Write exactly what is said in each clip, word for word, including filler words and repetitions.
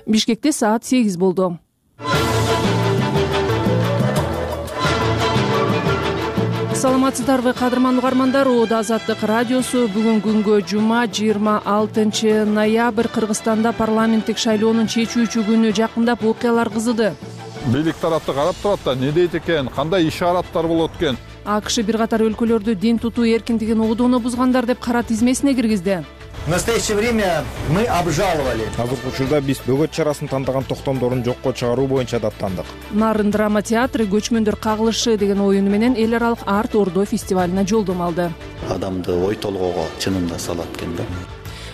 Бишкекте саат сегиз болду. Саламатсыздарбы кадырман угармандар, Оода Азаттык радиосу бүгүн күнгө жума жыйырма алтынчы ноябрь Кыргызстанда парламенттик шайлоонун чечүүчү күнү жакындап окуялар кызыды. Бийлик тарапты карап турат да, не дейт экен, кандай ишараттар болот экен. АКШ бир катар өлкөлөрдү дин тутуу эркиндигин обдону бузгандар деп кара тизмесине киргизди. В настоящее время мы обжаловали. Азыркы учурда биз бөгөт чарасын тандаган токтомдорун жокко чыгаруу боюнча даттандык. Нарын драма театры көчмөндөр кагылышы деген оюну менен эл аралык арт ордо фестивалине жолдомо алды. Адамды ой толгоого чынында салат экен да.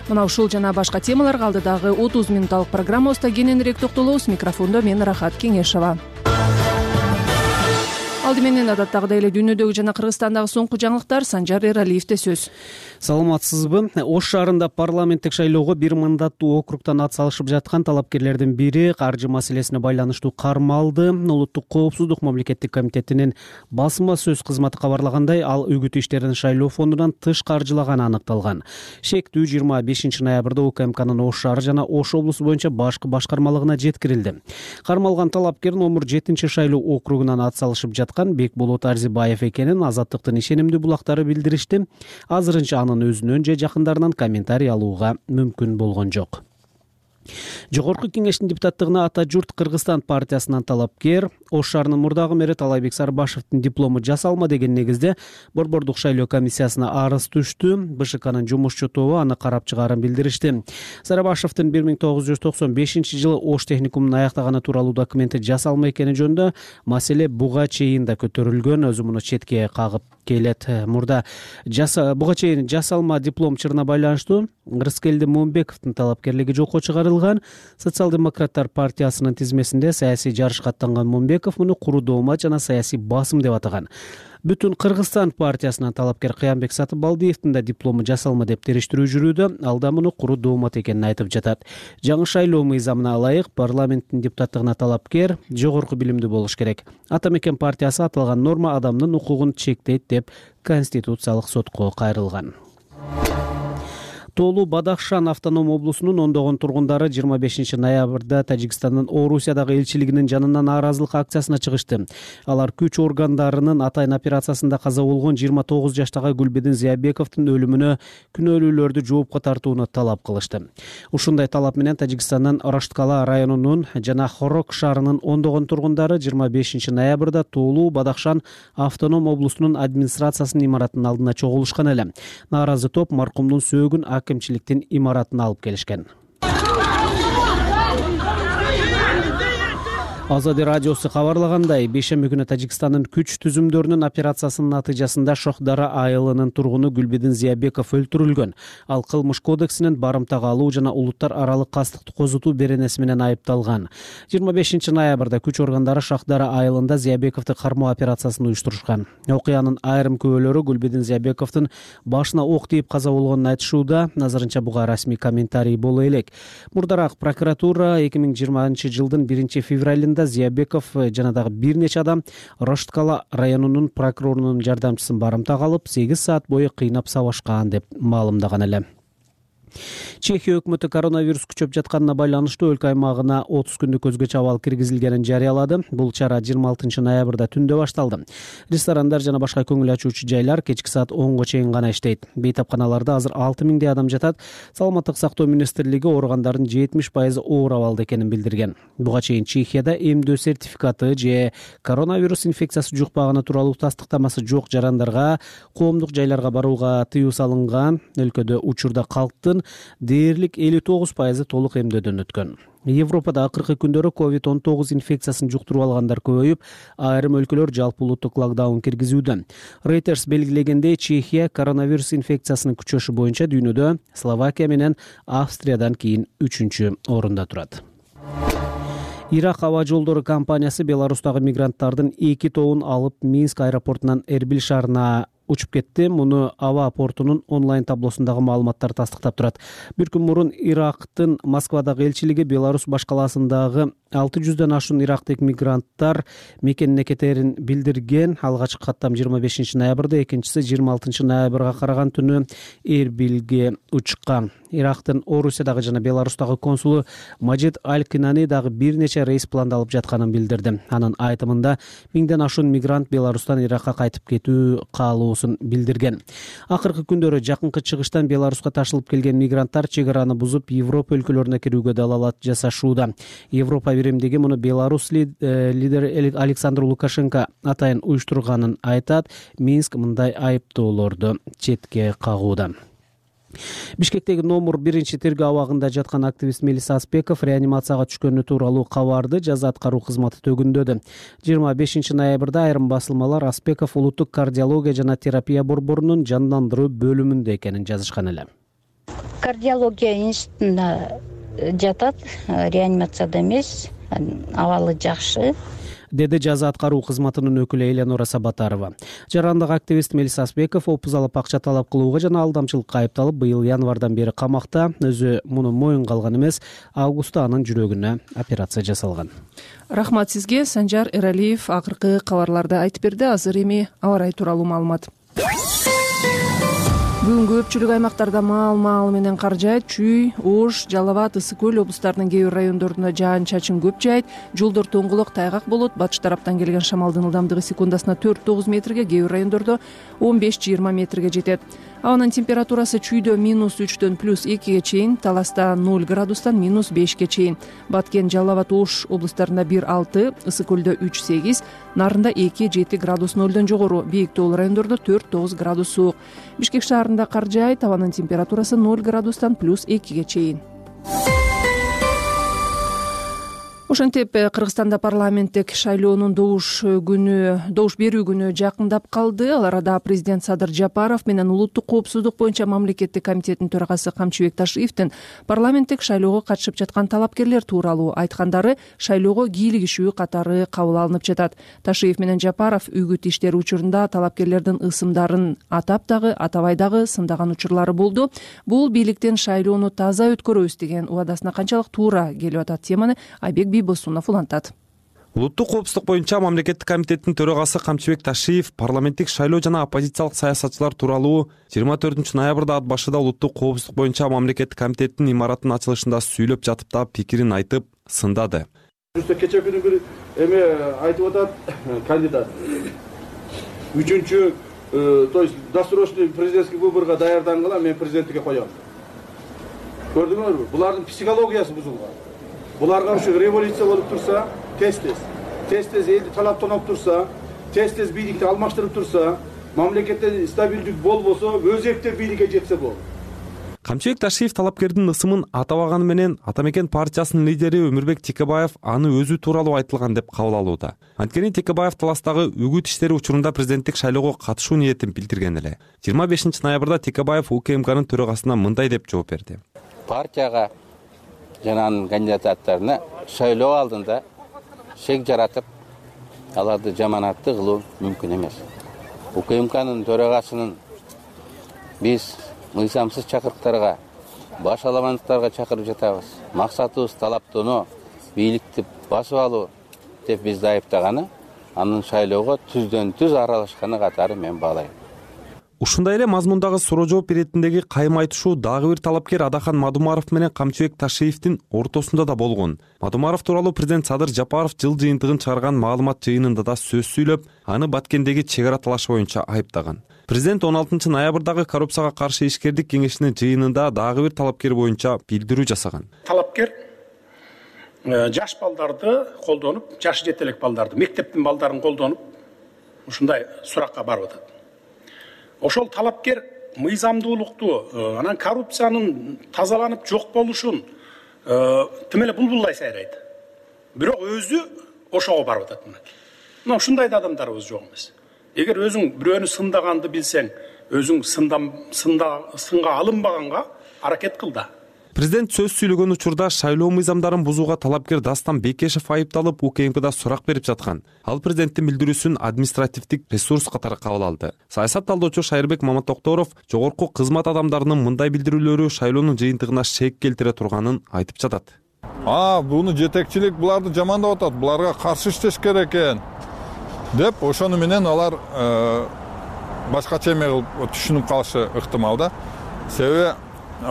Мына ушул жана башка темаларга алдыдагы отуз мүнөттүк программабызда кененирээк токтолобуз. Микрофондо мен Рахат Кеңешова. Алды менен адаттагыдай эле дүйнөдөгү жана Кыргызстандагы соңку жаңылыктар Санжар Эралиевде сөз. Саламатсызбы? Ош шаарында парламенттик шайлоого бир мандаттуу округтан ат салышып жаткан талапкерлердин бири каржы маселесине байланыштуу кармалды. Улуттук коопсуздук мамлекеттик комитетинин басма сөз кызматы кабарлагандай, ал үгүт иштерин шайлоо фондунан тыш каржылаганы аныкталган. Шектүү жыйырма бешинчи ноябрда УКМКнын Ош шаары жана Ош облусу боюнча башкы башкармалыгына жеткирилди. Кармалган талапкер номер жетинчи шайлоо округунан ат салышып жаткан Бекболот Арзибаев экенин Азаттыктын ишенимдүү булактары билдиришти. Азырынча анын өзүнөн же жакындарынан комментарий алууга мүмкүн болгон жок. Жогорку кеңештин депутаттыгына Ата журт Кыргызстан партиясынан талапкер Ош шаарынын мурдагы мэри Талайбек Сарбашевдин диплому жасалма деген негизде Борбордук шайлоо комиссиясына арыз түштү. БШКнын жумушчу тобу аны карап чыгаарын билдиришти. Сарбашевдин бир миң тогуз жүз токсон бешинчи жылы Ош техникумун аяктаганы тууралуу документи жасалма экени жөнүндө маселе буга чейин да көтөрүлгөн. Өзү муну четке кагып келет. Мурда буга чейин жасалма диплом чырына байланыштуу Рыскелди Момбековдун талапкерлиги жокко чыгарылган. Социал-демократтар партиясынын тизмесинде саясий жарышка аттанган Момбеков муну куру доомат жана саясий басым деп атаган. Бүтүн Кыргызстан партиясынын талапкер Кыянбек Сатыбалдиевдин да диплому жасалма деп териштирүү жүрүүдө. Ал да муну куру доомат экенин айтып жатат. Жаңы шайлоо мыйзамына ылайык парламенттин депутаттыгына талапкер жогорку билимдүү болуш керек. Ата мекен партиясы аталган норма адамдын укугун чектейт деп Конституциялык сотко кайрылган. Тоолуу Бадахшан автоном облусунун ондогон тургундары жыйырма бешинчи ноябрда Тажикстандын Орусиядагы элчилигинин жанынан нааразылык акциясына чыгышты. Алар күч органдарынын атайын операциясында каза болгон жыйырма тогуз жаштагы Гүлбедин Зыябековдун өлүмүнө күнөөлүүлөрдү жоопко тартууну талап кылышты. Ушундай талап менен Тажикстандын Рашткала районунун жана Хорок шаарынын ондогон тургундары жыйырма бешинчи ноябрда Тоолуу Бадахшан автоном облусунун администрациясынын имаратынын алдына чогулушкан эле. Нааразы топ маркумдун сөөгүн акимчиликтин имаратына алып келишкен. Азады радиосу кабарлагандай, бейшемби күнү Тажикстандын күч түзүмдөрүнүн операциясынын натыйжасында Шохдара айылынын тургуну Гүлбедин Зыябеков өлтүрүлгөн. Ал кылмыш кодексинин барымтага алуу жана улуттар аралык кастыкты козутуу беренеси менен айыпталган. жыйырма бешинчи ноябрда күч органдары Шохдара айылында Зыябековду кармоо операциясын уюштурушкан. Окуянын айрым күбөлөрү Гүлбедин Зыябековдун башына ок тийип каза болгонун айтышууда. Азырынча буга расмий комментарий боло элек. Мурдараак прокуратура эки миң жыйырманчы жылдын биринчи февралында Зыябеков жана дагы бир нече адам Рашткала районунун прокурорунун жардамчысын барымтага алып сегиз саат бою кыйнап сабашкан деп маалымдаган эле. Чехия өкмөтү коронавирус күчөп жатканына байланыштуу өлкө аймагына отуз күндүк өзгөчө абал киргизилгенин жарыялады. Бул чара жыйырма алтынчы ноябрда түндө башталды. Ресторандар жана башка көңүл ачуучу жайлар кечки саат онго чейин гана иштейт. Бейтапканаларда азыр алты миңдей адам жатат. Саламаттык сактоо министрлиги оорugandардын жетимиш пайызы оор абалда экенин билдирген. Буга чейин Чехияда эмдөө сертификаты же коронавирус инфекциясы жукпаганы тууралуу тастыктамасы жок жарандарга коомдук жайларга барууга тыюу салынган. Өлкөдө учурда калктын дээрлик элүү тогуз пайызы толук эмдөөдөн өткөн. Европада акыркы күндөрү ковид он тогуз инфекциясын жуктуруп алгандар көбөйүп, айрым өлкөлөр жалпы улуттук локдаун киргизүүдө. Reuters белгилегендей, Чехия коронавирус инфекциясынын күчөшү боюнча дүйнөдө Словакия менен Австриядан кийин үчүнчү орунда турат. Ирак аба жолдору компаниясы Беларустагы мигранттардын эки тобун алып Минск аэропортунан Эрбил шаарына учуп кетти. Муну аба портунун онлайн таблосундагы маалыматтар тастыктап турат. Бир күн мурун Ирактын Москвадагы элчилиги Беларусь башкаласындагы алты жүздөн ашуун ирактык мигранттар мекенине кетерин билдирген. Алгачкы каттам жыйырма бешинчи ноябрда, экинчиси жыйырма алтынчы ноябрга караган түнү Эрбилге учкан. Ирактын Орусиядагы жана Беларустагы консулу Маджид Аль-Кинани дагы бир нече рейс пландалып жатканын билдирди. Анын айтымында миңден ашуун мигрант Беларустан Иракка кайтып кетүү каалоосун билдирген. Акыркы күндөрү жакынкы чыгыштан Беларуска ташылып келген мигранттар чек араны бузуп, Европа өлкөлөрүнө кирүүгө далалат жасашууда. Европа биримдиги муну Беларусь лидери Александр Лукашенко атайын уюштурганын айтат. Минск мындай айыптоолорду четке кагууда. Бишкектеги номер биринчи тергөө абагында жаткан активист Мелис Аспеков реанимацияга түшкөнү тууралуу кабарды жаза аткаруу кызматы төгүндөдү. жыйырма бешинчи ноябрда айрым басылмалар Аспеков улуттук кардиология жана терапия борборунун жандандыруу бөлүмүндө экенин жазышкан эле. Кардиология институтунда жатат, реанимацияда эмес, абалы жакшы, деди жаза аткаруу кызматынын өкүлү Эленора Сабатарова. Жарандык активист Мелис Аспеков опуз алып акча талап кылууга жана алдамчылыкка айыпталып, быйыл январдан бери камакта. Өзү муну моюнга алган эмес, августта анын жүрөгүнө операция жасалган. Рахмат сизге. Санжар Эралиев акыркы кабарларды айтып берди. Азыр эми аба ырайы тууралуу маалымат. Бүгүн көпчүлүк аймактарда маал-маал менен кар жаайт. Чүй, Ош, Жалал Абад, Ысык көл облустарынын кээ бир райондорунда жаан-чачын көп жаайт. Жолдор тоңголок, тайгак болот. Батыш тараптан келген шамалдын ылдамдыгы секундасына төрт тогуз метрге, кээ бир райондордо он беш жыйырма метрге жетет. Абанын температурасы Чүйдө минус үчтөн плюс экиге чейин, Таласта ноль градустан минус бешке чейин. Баткен, Жалал Абад, Ош облустарында бир алты, Ысык көлдө үч сегиз, Нарында эки жети градус нолдон жогору, Бийик тоолуу райондордо төрт тогуз градус суук. Бишкек шаарында кар жаайт, абанын температурасы ноль градустан плюс экиге чейин. Ошентип Кыргызстанда парламенттик шайлоонун добуш күнү, добуш берүү күнү жакындап калды. Ал арада президент Садыр Жапаров менен улуттук коопсуздук боюнча мамлекеттик комитеттин төрагасы Камчыбек Ташиевдин парламенттик шайлоого катышып жаткан талапкерлер тууралуу айткандары шайлоого кийлигишүү катары кабыл алынып жатат. Ташиев менен Жапаров үгүт иштери учурунда талапкерлердин ысымдарын атап дагы, атабай дагы сындаган учурлары болду. Бул бийликтен шайлоону таза өткөрөбүз деген убадасына канчалык туура келип атат, теманы Айбек Босунов улантат. Улуттук коопсуздук боюнча мамлекеттик комитеттин төрагасы Камчыбек Ташиев парламенттик шайлоо жана оппозициялык саясатчылар тууралуу жыйырма төртүнчү ноябрда ат башыда улуттук коопсуздук боюнча мамлекеттик комитеттин имаратынын ачылышында сүйлөп жатып да пикирин айтып сындады. Кече күнү бир эме айтып атат кандидат. Үчүнчү, то есть досрочный президентский выборго даярдангыла, мен президенттикке коем. Көрдүңөрбү? Булардын психологиясы бузулган. Буларга ушу революция болуп турса, тез-тез, тез-тез элди талаптанып турса, тез-тез бийликти алмаштырып турса, мамлекетте стабилдик болбосо, өзекте бийликке жетсе болот. Камчыбек Ташиев талапкердин ысымын атабаганы менен Атамекен партиясынын лидери Өмүрбек Текебаев аны өзү тууралуу айтылган деп кабыл алууда. Анткени Текебаев Таластагы үгүт иштери учурунда президенттик шайлоого катышуу ниетин билдирген эле. жыйырма бешинчи ноябрда Текебаев УКМКнын төрагасына мындай деп жооп берди. Партияга жана анын кандидаттарына шайлоо алдында шек жаратып, аларды жаманатты кылуу мүмкүн эмес. УКМКнын төрагасынын биз мыйзамсыз чакырыктарга, баш аламандыктарга чакырып жатабыз. Максатыбыз талаптоноо, бийликти басып алуу деп бизди айыптаганы, анын шайлоого түздөн түз аралашканы катары мен баалайм. Ушундай эле мазмундагы суроо жооп иретиндеги кайым айтышуу дагы бир талапкер Адахан Мадумаров менен Камчыбек Ташиевдин ортосунда да болгон. Мадумаров тууралуу президент Садыр Жапаров жыл жыйынтыгын чыгарган маалымат жыйынында да сөз сүйлөп, аны Баткендеги чек ара талашы боюнча айыптаган. Президент он алтынчы ноябрдагы коррупцияга каршы ишкердик кеңешинин жыйынында дагы бир талапкер боюнча билдирүү жасаган. Талапкер жаш балдарды колдонуп, жашы жете элек балдарды, мектептин балдарын колдонуп, ушундай суракка барып атат. Ошол талапкер мыйзамдуулукту, анан коррупциянын тазаланып жок болушун тим эле булбулдай сайрайт. Бирок өзү ошого барып атат. Мына ушундай да адамдарыбыз жок эмес. Эгер өзүң бирөөнү сындаганды билсең, өзүң сындам сында сынга алынбаганга аракет кыл да. Президент сөз сүйлөгөн учурда шайлоо мыйзамдарын бузууга талапкер Дастан Бекешев айыпталып, УКМКда сурак берип жаткан. Ал президенттин билдирүүсүн административдик ресурс катары кабыл алды. Саясат талдоочу Шайырбек Маматокторов жогорку кызмат адамдарынын мындай билдирүүлөрү шайлоонун жыйынтыгына шек келтире турганын айтып жатат. А, буну жетекчилик буларды жамандап атат. Буларга каршы иштеш керек экен деп, ошону менен алар башкача эме кылып түшүнүп калышы ыктымал да. Себеби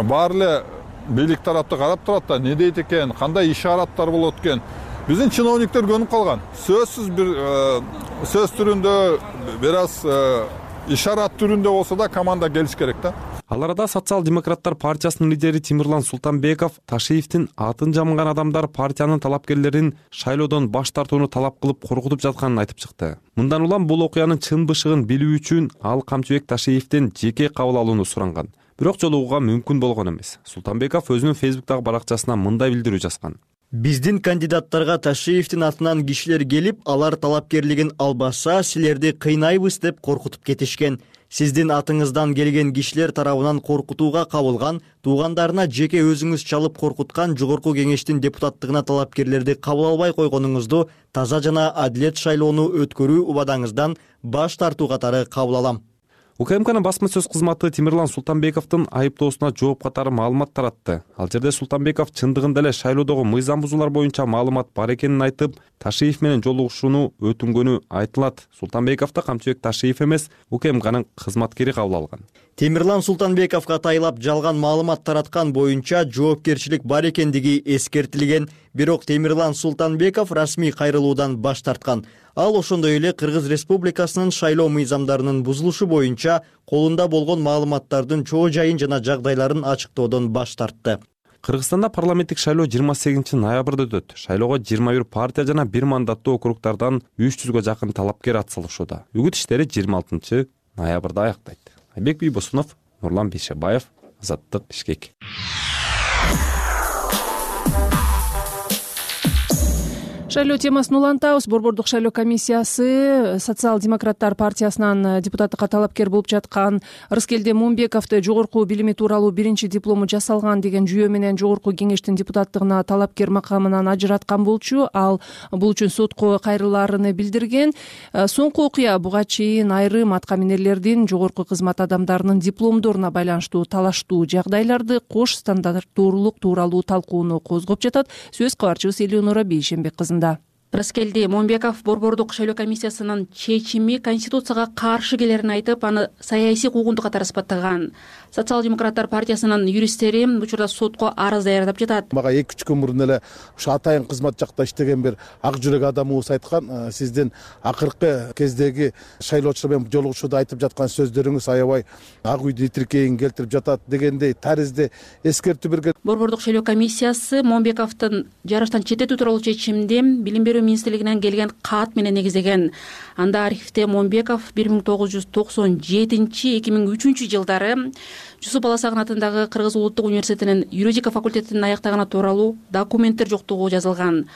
баары эле бийлик тарапты карап турат да, не дейт экен, кандай ишараттар болот экен. Биздин чиновниктер көнүп калган. Сөзсүз бир сөз түрүндө, бир аз ишарат түрүндө болсо да команда келиш керек да. Ал арада социал-демократтар партиясынын лидери Темирлан Султанбеков Ташиевдин атын жамган адамдар партиянын талапкерлерин шайлоодон баш тартууну талап кылып коркутуп жатканын айтып чыкты. Мындан улам бул окуянын чын бышыгын билүү үчүн ал Камчыбек Ташиевден жеке кабыл алууну суранган. Бирок жолугууга мүмкүн болгон эмес. Султанбеков өзүнүн Фейсбуктагы баракчасына мындай билдирүү жазган. Биздин кандидаттарга Ташиевдин атынан кишилер келип, алар талапкерлигин албаса, силерди кыйнайбыз деп коркутуп кетишкен. Сиздин атыңыздан келген кишилер тарабынан коркутууга кабылган, туугандарына жеке өзүңүз чалып коркуткан жогорку кеңештин депутаттыгына талапкерлерди кабыл албай койгонуңузду таза жана адилет шайлоону өткөрүү убадаңыздан баш тартуу катары кабыл алам. УКМКнын басма сөз кызматы Темирлан Султанбековдун айыптоосуна жооп катары маалымат таратты. Ал жерде Султанбеков чындыгында эле шайлоодогу мыйзам бузуулар боюнча маалымат бар экенин айтып, Ташиев менен жолугушууну өтүнгөнү айтылат. Султанбековду Камчыбек Ташиев эмес, УКМКнын кызматкери кабыл алган. Темирлан Султанбековго тайлап жалган маалымат тараткан боюнча жоопкерчилик бар экендиги эскертилген, бирок Темирлан Султанбеков расмий кайрылуудан баш тарткан. Ал ошондой эле Кыргыз Республикасынын шайлоо мыйзамдарынын бузулушу боюнча колунда болгон маалыматтардын чоо жайын жана жагдайларын ачыктоодон баш тартты. Кыргызстанда парламенттик шайлоо жыйырма сегизинчи ноябрда өтөт. Шайлоого жыйырма бир партия жана бир мандаттуу округдардан үч жүзгө жакын талапкер атсалышууда. Үгүт иштери жыйырма алтынчы ноябрда аяктайт. Айбек Бийбосунов, Нурлан Бейшебаев, Азаттык, Бишкек. Шайлоо темасын улантабыз. Борбордук шайлоо комиссиясы социал-демократтар партиясынан депутаттыкка талапкер болуп жаткан Рыскелди Мумбековду жогорку билими тууралуу биринчи диплому жасалган деген жүйө менен жогорку кеңештин депутаттыгына талапкер макамынан ажыраткан болчу. Ал бул үчүн сотко кайрылаарын билдирген. Соңку окуя буга чейин айрым аткаминерлердин жогорку кызмат адамдарынын дипломдоруна байланыштуу талаштуу жагдайларды кош стандарттуулук тууралуу талкууну козгоп жатат. Сөз кабарчыбыз Элеонора Бейшенбек кызында. Рыскелди Момбеков борбордук шайлоо комиссиясынын чечими конституцияга каршы келерин айтып, аны саясий куугунтук катары сыпаттаган. Социал-демократтар партиясынын юристтери учурда сотко арыз даярдап жатат. Мага эки үч күн мурун эле ушу атайын кызмат жакта иштеген бир ак жүрөк адамыбыз айткан, сиздин акыркы кездеги шайлоочулар менен жолугушууда айтып жаткан сөздөрүңүз аябай ак үйдү итиркейин келтирип жатат дегендей таризди эскертүү берген. Борбордук шайлоо комиссиясы Момбековдун жарыштан четтетүү тууралуу чечимди билим берүү министрлигинен келген кат менен негиздеген. Анда архивде Момбеков бир миң тогуз жүз токсон жетинчи эки миң үчүнчү жылдары Жусуп Баласагын атындагы Кыргыз улуттук университетинин юридика факультетин аяктаганы тууралуу документтер жоктугу жазылган.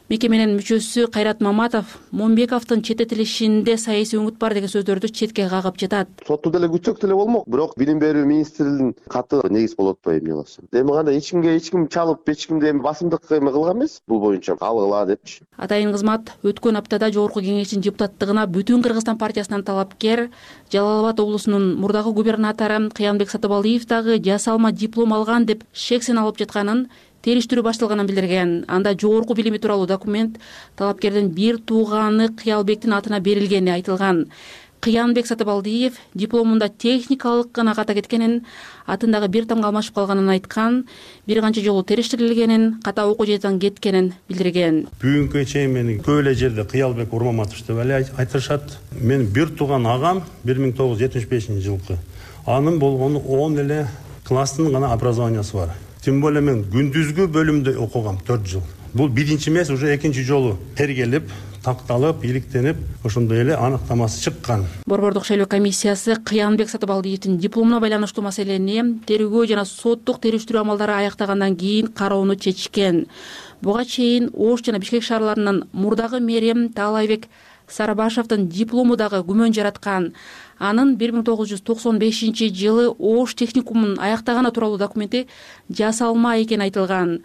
Мекеменин мүчөсү Кайрат Маматов Момбековдун четтетилишинде саясий өңүт бар деген сөздөрдү четке кагып жатат. Сотту деле күтсөк деле болмок, бирок билим берүү министринин каты негиз болот го эмне болсо. Эми кандай эч кимге эч ким чалып, эч кимди эми басымдык эме кылган эмес бул боюнча алгыла депчи. Атайын кызмат өткөн аптада жогорку кеңештин депутаттыгына Бүтүн Кыргызстан партиясынан талапкер Жалал Абад облусунун мурдагы губернатору Кыянбек Сатыбалдиев дагы жасалма диплом алган деп шексен алып жатканын, териштирүү башталганын билдирген. Анда жогорку билими тууралуу документ талапкердин бир тууганы Кыялбектин атына берилгени айтылган. Кыянбек Сатыбалдиев дипломунда техникалык гана ката кеткенин, атындагы бир тамга алмашып калганын айткан, бир канча жолу териштирилгенин, ката окуу жайдан кеткенин билдирген. Бүгүнкү чейин мени көп эле жерде Кыялбек Урмаматович деп эле айтышат. Мен бир тууган агам бир миң тогуз жүз жетимиш бешинчи жылкы. Анын болгону он эле класстын гана образованиясы бар. Тем более мен күндүзгү бөлүмдө окугам төрт жыл. Бул биринчи эмес, уже экинчи жолу тергелип, такталып, иликтенип, ошондой эле аныктамасы чыккан. Борбордук шайлоо комиссиясы Кыянбек Сатыбалдиевдин дипломуна байланыштуу маселени тергөө жана соттук териштирүү амалдары аяктагандан кийин кароону чечкен. Буга чейин Ош жана Бишкек шаарларынын мурдагы мэри Таалайбек Сарыбашевдин диплому дагы күмөн жараткан. Анын бир миң тогуз жүз токсон бешинчи жылы Ош техникумун аяктаганы тууралуу документи жасалма экени айтылган.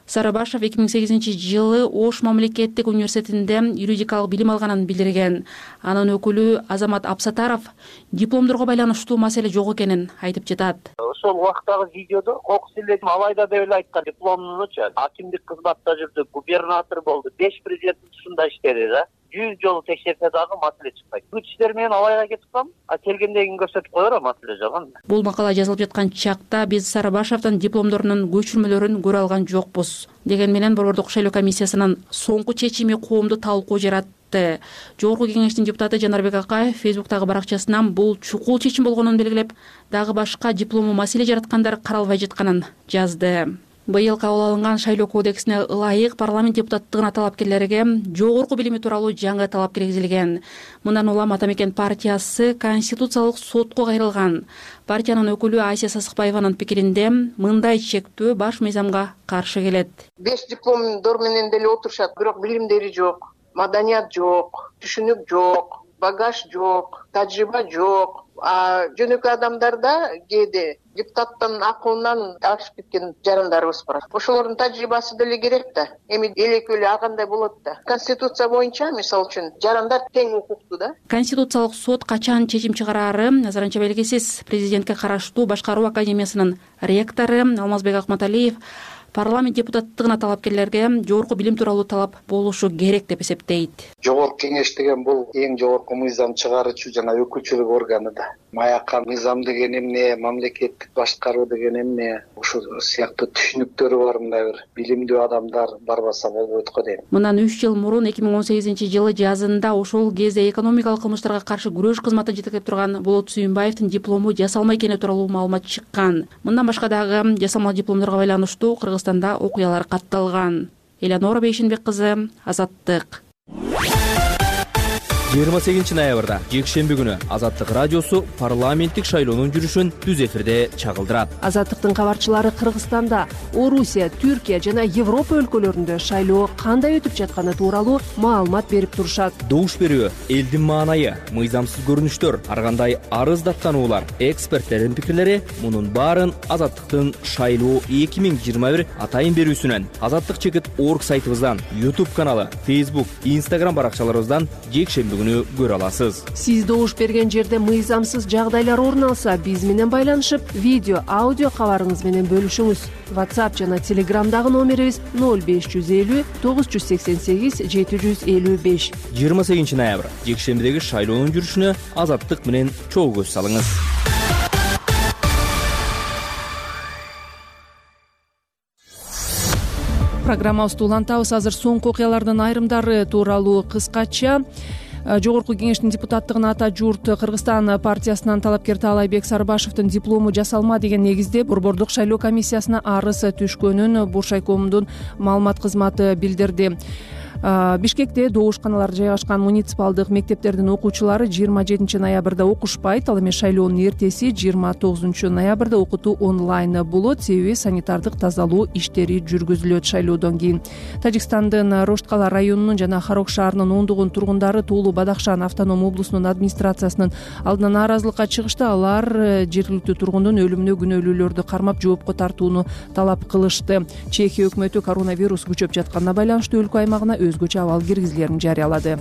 Сарыбашов эки миң сегизинчи жылы Ош мамлекеттик университетинде юридикалык билим алганын билдирген. Анын өкүлү Азамат Абсатаров дипломдорго байланыштуу маселе жок экенин айтып жатат. Ошол убактагы видеодо кокус эле алайда деп эле айткан. Дипломунучу акимдик кызматта жүрдү, губернатор болду, беш президенттин тушунда иштеди да. жүз жолу текшерсе дагы маселе чыкпайт. Күч иштер менен алайга кетип калам, а келгенден көрсөтүп коёр, маселе жок. Бул макала жазылып жаткан чакта биз Сарыбашовдун дипломдорунун көчүрмөлөрүн көрө алган жокпуз. Деген менен Борбордук шайлоо комиссиясынын соңку чечими коомду талкуу жаратты. Жогорку кеңештин депутаты Жанарбек Акаев Фейсбуктагы баракчасынан бул чукул чечим болгонун белгилеп, дагы башка диплому маселе жараткандар каралбай жатканын жазды. Быйыл кабыл алынган шайлоо кодексине ылайык парламент депутаттыгына талапкерлерге жогорку билими тууралуу жаңы талап киргизилген. Мындан улам Ата Мекен партиясы Конституциялык сотко кайрылган. Партиянын өкүлү Айся Сасыкбаеванын пикиринде мындай чектөө баш мыйзамга каршы келет. Беш дипломдор менен деле отурушат, бирок билимдери жок, маданият жок, түшүнүк жок, багаж жок, тажрыйба жок. А жөнөкөй адамдарда кээде депутаттын акылынан ашып кеткен жарандарыбыз бар. Ошолордун тажрыйбасы деле керек да. Эми элекөлө агандай болот да. Конституция боюнча, мисалы үчүн, жарандар тең укуктуу да. Конституциялык сот качан чечим чыгарары азырынча белгисиз. Президентке караштуу Башкаруу академиясынын ректору Алмазбек Акматалиев парламент депутаттыгына талапкерлерге жогорку билим тууралуу талап болушу керек деп эсептейт. Жогорку кеңеш деген бул эң жогорку мыйзам чыгаруучу жана өкүлчүлүк органы да. Маяка мыйзам деген эмне, мамлекеттик башкаруу деген эмне, ушул сыяктуу түшүнүктөрү бар мындай бир билимдүү адамдар барбаса болбойт го дейм. Мындан үч жыл мурун эки миң он сегизинчи жылы жазында ошол кезде экономикалык кылмыштарга каршы күрөш кызматын жетектеп турган Болот Сүйүнбаевдин диплому жасалма экени тууралуу маалымат чыккан. Мындан башка дагы жасалма дипломдорго байланыштуу Кыргызстанда окуялар катталган. Элянора Бейшенбек кызы, Азаттык. жыйырма сегизинчи ноябрда жекшемби күнү Азаттык радиосу парламенттик шайлоонун жүрүшүн түз эфирде чагылдырат. Азаттыктын кабарчылары Кыргызстанда, Орусия, Түркия жана Европа өлкөлөрүндө шайлоо кандай өтүп жатканы тууралуу маалымат берип турушат. Добуш берүү, элдин маанайы, мыйзамсыз көрүнүштөр, ар кандай арыз даттануулар, эксперттердин пикирлери мунун баарын Азаттыктын шайлоо эки миң жыйырма бир атайын берүүсүнөн, Азаттык чекит орг сайтыбыздан, YouTube каналы, Facebook, Instagram баракчаларыбыздан жекшемби күнү көрө аласыз. Сиз добуш берген жерде мыйзамсыз жагдайлар орун алса, биз менен байланышып, видео, аудио кабарыңыз менен бөлүшүңүз. WhatsApp жана Telegramдагы номерибиз ноль беш жүз элүү тогуз жүз сексен сегиз жети жүз элүү беш. жыйырма сегизинчи ноябрь жекшембидеги шайлоонун жүрүшүнө Азаттык менен чогуу көз салыңыз. Программабызды улантабыз. Азыр соңку окуялардын айрымдары тууралуу кыскача. Жогорку кеңештин депутаттыгына Ата журт Кыргызстан партиясынан талапкер Таалайбек Сарыбашовдун диплому жасалма деген негизде Борбордук шайлоо комиссиясына арыз түшкөнүн Буршайкомдун маалымат кызматы билдирди. Бишкекте добушканалар жайгашкан муниципалдык мектептердин окуучулары жыйырма жетинчи ноябрда окушпайт. Ал эми шайлоонун эртеси жыйырма тогузунчу ноябрда окутуу онлайн болот. Себеби санитардык тазалоо иштери жүргүзүлөт шайлоодон кийин. Тажикстандын Рошткала районунун жана Харок шаарынын ондогон тургундары Туулу Бадахшан автоном облусунун администрациясынын алдына нааразылыкка чыгышты. Алар жергиликтүү тургундун өлүмүнө күнөөлүүлөрдү кармап жоопко тартууну талап кылышты. Чехия өкмөтү коронавирус күчөп жатканына байланыштуу өлкө аймагына өзгөчө абал киргизилерин жарыялады.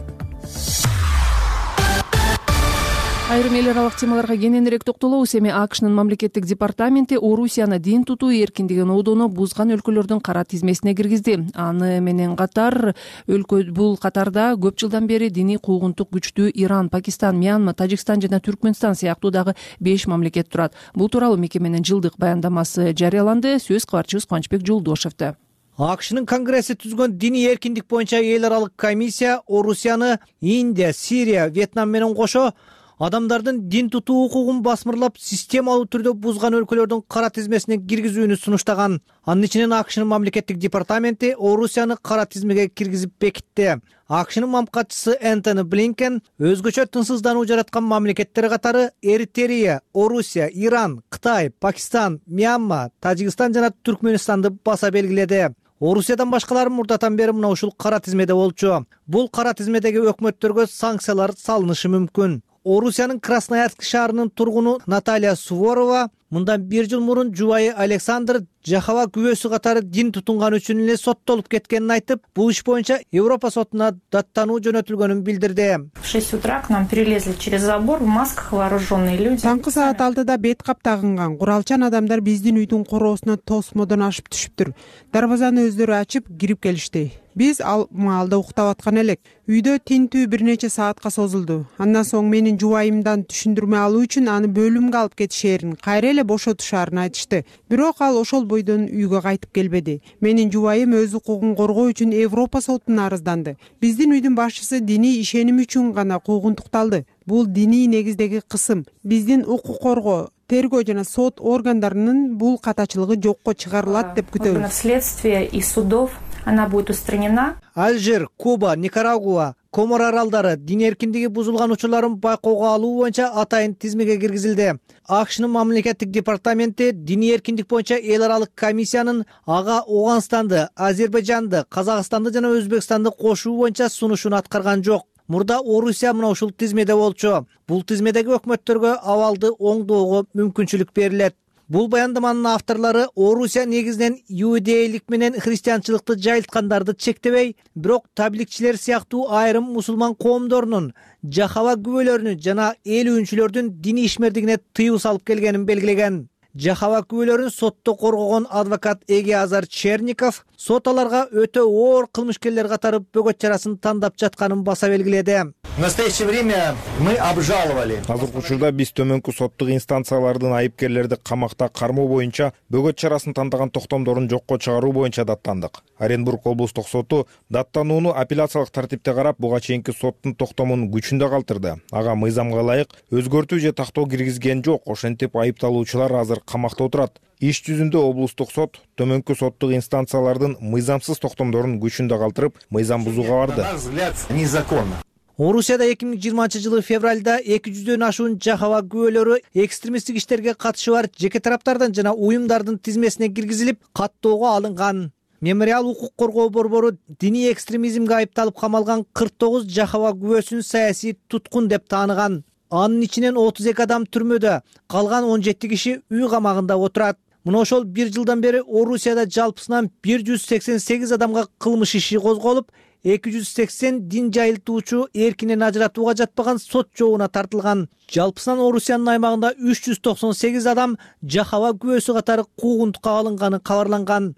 Айрым эл аралык темаларга кененирээк токтолобуз. Эми АКШнын мамлекеттик департаменти Орусияны дин тутуу эркиндигин оодону бузган өлкөлөрдүн кара тизмесине киргизди. Аны менен катар өлкө бул катарда көп жылдан бери диний куугунтук күчтүү Иран, Пакистан, Мьянма, Тажикстан жана Түркмөнстан сыяктуу дагы беш мамлекет турат. Бул тууралуу мекеменин жылдык баяндамасы жарыяланды. Сөз кабарчыбыз Кубанычбек Жолдошевде. АКШнын Конгресси түзгөн диний эркиндик боюнча эл аралык комиссия Орусияны Индия, Сирия, Вьетнам менен кошо адамдардын дин тутуу укугун басмырлап системалуу түрдө бузган өлкөлөрдүн кара тизмесине киргизүүнү сунуштаган. Анын ичинен АКШнын мамлекеттик департаменти Орусияны кара тизмеге киргизип бекитти. АКШнын мамлекатчысы Энтони Блинкен өзгөчө тынчсыздануу жараткан мамлекеттер катары Эритрея, Орусия, Иран, Кытай, Пакистан, Мьянма, Тажикстан жана Түркмөнстанды баса белгиледи. Орусиядан башкалары мурдатан бери мына ушул кара тизмеде болчу. Бул кара тизмедеги өкмөттөргө санкциялар салынышы мүмкүн. Орусиянын Красноярск шаарынын тургуну Наталья Суворова мындан бир жыл мурун жубайы Александр Жахава күбөсү катары дин тутунганы үчүн эле соттолуп кеткенин айтып, бул иш боюнча Европа сотуна даттануу жөнөтүлгөнүн билдирди. В шесть утра к нам перелезли через забор в масках вооруженные люди. Таңкы саат алтыда бет кап тагынган куралчан адамдар биздин үйдүн короосуна тосмодон ашып түшүптүр. Дарбазаны өздөрү ачып кирип келишти. Биз ал маалда уктап аткан элек. Үйдө тинтүү бир нече саатка созулду. Андан соң менин жубайымдан түшүндүрмө алуу үчүн аны бөлүмгө алып кетишээрин, кайра эле бошотушаарын айтышты. Бирок ал ошол бойдон үйгө кайтып келбеди. Менин жубайым өз укугун коргоо үчүн Европа сотуна арызданды. Биздин үйдүн башчысы диний ишеним үчүн гана куугунтукталды. Бул диний негиздеги кысым. Биздин укук коргоо, тергөө жана сот органдарынын бул катачылыгы жокко чыгарылат деп күтөбүз. Следствие и судов она будет устранена. Алжир, Куба, Никарагуа, Комор аралдары дин эркиндиги бузулган учурларын байкоого алуу боюнча атайын тизмеге киргизилди. АКШнын мамлекеттик департаменти диний эркиндик боюнча эл аралык комиссиянын ага Ооганстанды, Азербайжанды, Казакстанды жана Өзбекстанды кошуу боюнча сунушун аткарган жок. Мурда Орусия мына ушул тизмеде болчу. Бул тизмедеги өкмөттөргө абалды оңдоого мүмкүнчүлүк берилет. Бул баяндаманын авторлору Орусия негизинен иудейлик менен христианчылыкты жайылткандарды чектебей, бирок табликчилер сыяктуу айрым мусулман коомдорунун, Жахава күбөлөрүнүн жана ээлүүчүлөрдүн диний ишмердигине тыюу салып келгенин белгилеген. Жахава күбөлөрүн сотто коргогон адвокат Эгиазар Черников сот аларга өтө оор кылмышкерлер катары бөгөт чарасын тандап жатканын баса белгиледи. В настоящее время мы обжаловали. Азыркы учурда биз төмөнкү соттук инстанциялардын айыпкерлерди камакта кармоо боюнча бөгөт чарасын тандаган токтомдорун жокко чыгаруу боюнча даттандык. Оренбург облустук соту даттанууну апелляциялык тартипте карап, буга чейинки соттун токтомун күчүндө калтырды. Ага мыйзамга ылайык өзгөртүү же тактоо киргизген жок. Ошентип айыпталуучулар азыр камакта отурат. Иш жүзүндө облустук сот төмөнкү соттук инстанциялардын мыйзамсыз токтомдорун күчүндө калтырып, мыйзам бузууга барды. На наш взгляд, незаконно. Орусияда эки миң жыйырманчы жылы февралда эки жүздөн ашуун Жахава күбөлөрү экстремисттик иштерге катышы бар жеке тараптардын жана уюмдардын тизмесине киргизилип, каттоого алынган. Мемориал укук коргоо борбору диний экстремизмге айыпталып камалган кырк тогуз Жахава күбөсүн саясий туткун деп тааныган. Анын ичинен отуз эки адам түрмөдө, калган он жети киши үй камагында отурат. Мына ошол бир жылдан бери Орусияда жалпысынан бир жүз сексен сегиз адамга кылмыш иши козголуп, эки жүз сексен дин жайылтуучу эркинен ажыратууга жатпаган сот жообуна тартылган. Жалпысынан Орусиянын аймагында үч жүз токсон сегиз адам Жахава күбөсү катары куугунтукка алынганы кабарланган.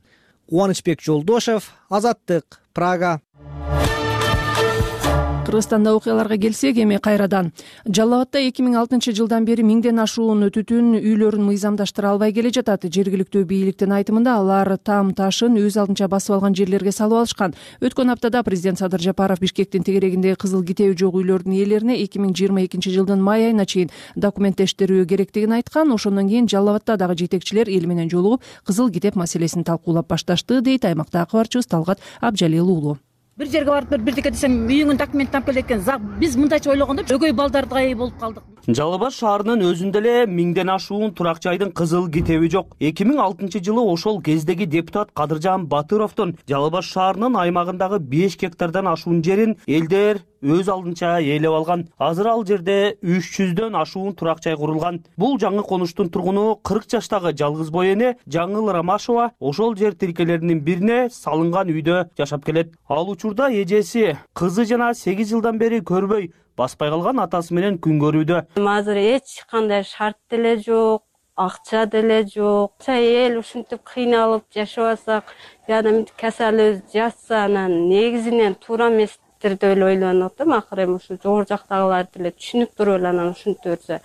Кубанычбек Жолдошев, Азаттык, Прага. Кыргызстанда окуяларга келсек, эми кайрадан Жалал Абадта эки миң алтынчы жылдан бери миңден ашуун түтүн үйлөрүн мыйзамдаштыра албай келе жатат. Жергиликтүү бийликтин айтымында алар там ташын өз алдынча басып алган жерлерге салып алышкан. Өткөн аптада президент Садыр Жапаров Бишкектин тегерегинде кызыл китеби жок үйлөрдүн ээлерине эки миң жыйырма экинчи жылдын май айына чейин документтештирүү керектигин айткан. Ошондон кийин Жалал Абадтагы жетекчилер эл менен жолугуп кызыл китеп маселесин талкуулап башташты, дейт аймактагы кабарчыбыз Талгат Абжалил уулу. Бир жерге барып бирдеке десем үйүңүн документин алып кел экен. Биз мындайча ойлогондо өгөй балдардыгай болуп калдык. Жалал Абад шаарынын өзүндө эле миңден ашуун турак жайдын кызыл китеби жок. эки миң алтынчы жылы ошол кездеги депутат Кадыржан Батыровдун Жалал Абад шаарынын аймагындагы беш гектардан ашуун жерин элдер өз алдынча ээлеп алган. Азыр ал жерде үч жүздөн ашуун турак жай курулган. Бул жаңы конуштун тургуну кырк жаштагы жалгыз бой эне Жаңыл Рамашова ошол жер тилкелеринин бирине салынган үйдө жашап келет. Ал учурда эжеси кызы жана сегиз жылдан бери көрбөй баспай калган атасы менен күн көрүүдө. Азыр эч кандай шарт деле жок, акча деле жок. Эл ушинтип кыйналып жашап атсак, жана мынтип касалыбыз жатса, анан негизинен туура эместир деп эле ойлонуп атам. Акыры эми ушу жогору жактагылар деле түшүнүк туруп эле анан ушинтип берсе,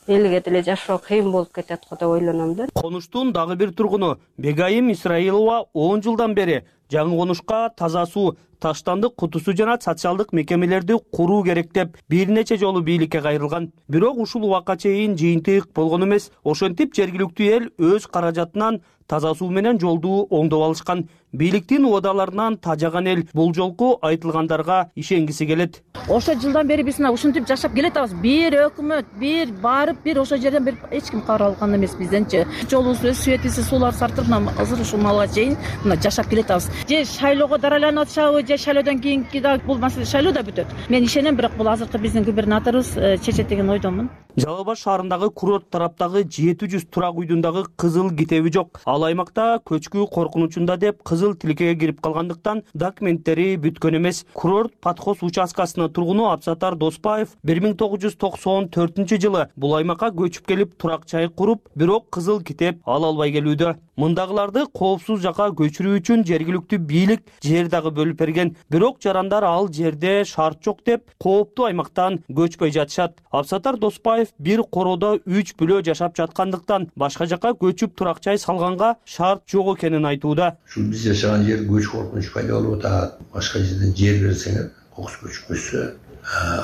элге деле жашоо кыйын болуп кетет го деп ойлоном да. Конуштун дагы бир тургуну Бегайым Исраилова он жылдан бери жаңы конушка таза суу, таштандык кутусу жана социалдык мекемелерди куруу керек деп бир нече жолу бийликке кайрылган. Бирок ушул убакка чейин жыйынтык болгон эмес. Ошентип жергиликтүү эл өз каражатынан таза суу менен жолду оңдоп алышкан. Бийликтин убадаларынан тажаган эл бул жолку айтылгандарга ишенгиси келет. Ошо жылдан бери биз ушинтип жашап келатабыз. Бир өкмөт, бир барып, бир ошол жерден бир эч ким кабар алган эмес бизденчи. Жолубуз өз, светибиз, суулар сартырып, азыр ушул малга чейин мына жашап келатабыз. же шайлоого дарайланып атышабы, же шайлоодон кийинки да бул маселе шайлоодо бүтөт. Мен ишенем, бирок бул азыркы биздин губернаторубуз чечет деген ойдомун. Жалал Абад шаарындагы курорт тараптагы жети жүз турак үйдүн дагы кызыл китеби жок. Ал аймакта көчкү коркунучунда деп кызыл тилкеге кирип калгандыктан документтери бүткөн эмес. Курорт подхоз участкасынын тургуну Абсатар Доспаев бир миң тогуз жүз токсон төртүнчү жылы бул аймакка көчүп келип турак жай куруп, бирок кызыл китеп ала албай келүүдө. Мындагыларды коопсуз жакка көчүрүү үчүн жергиликтүү бийлик жер дагы бөлүп берген. Бирок жарандар ал жерде шарт жок деп кооптуу аймактан көчпөй жатышат. Абсатар Доспаев бир короодо үч бүлө жашап жаткандыктан башка жакка көчүп турак жай салганга шарт жок экенин айтууда. Ушул биз жашаган жер көч коркунуч пайда болуп атат. Башка жерден жер берсеңер, кокус көчмөсө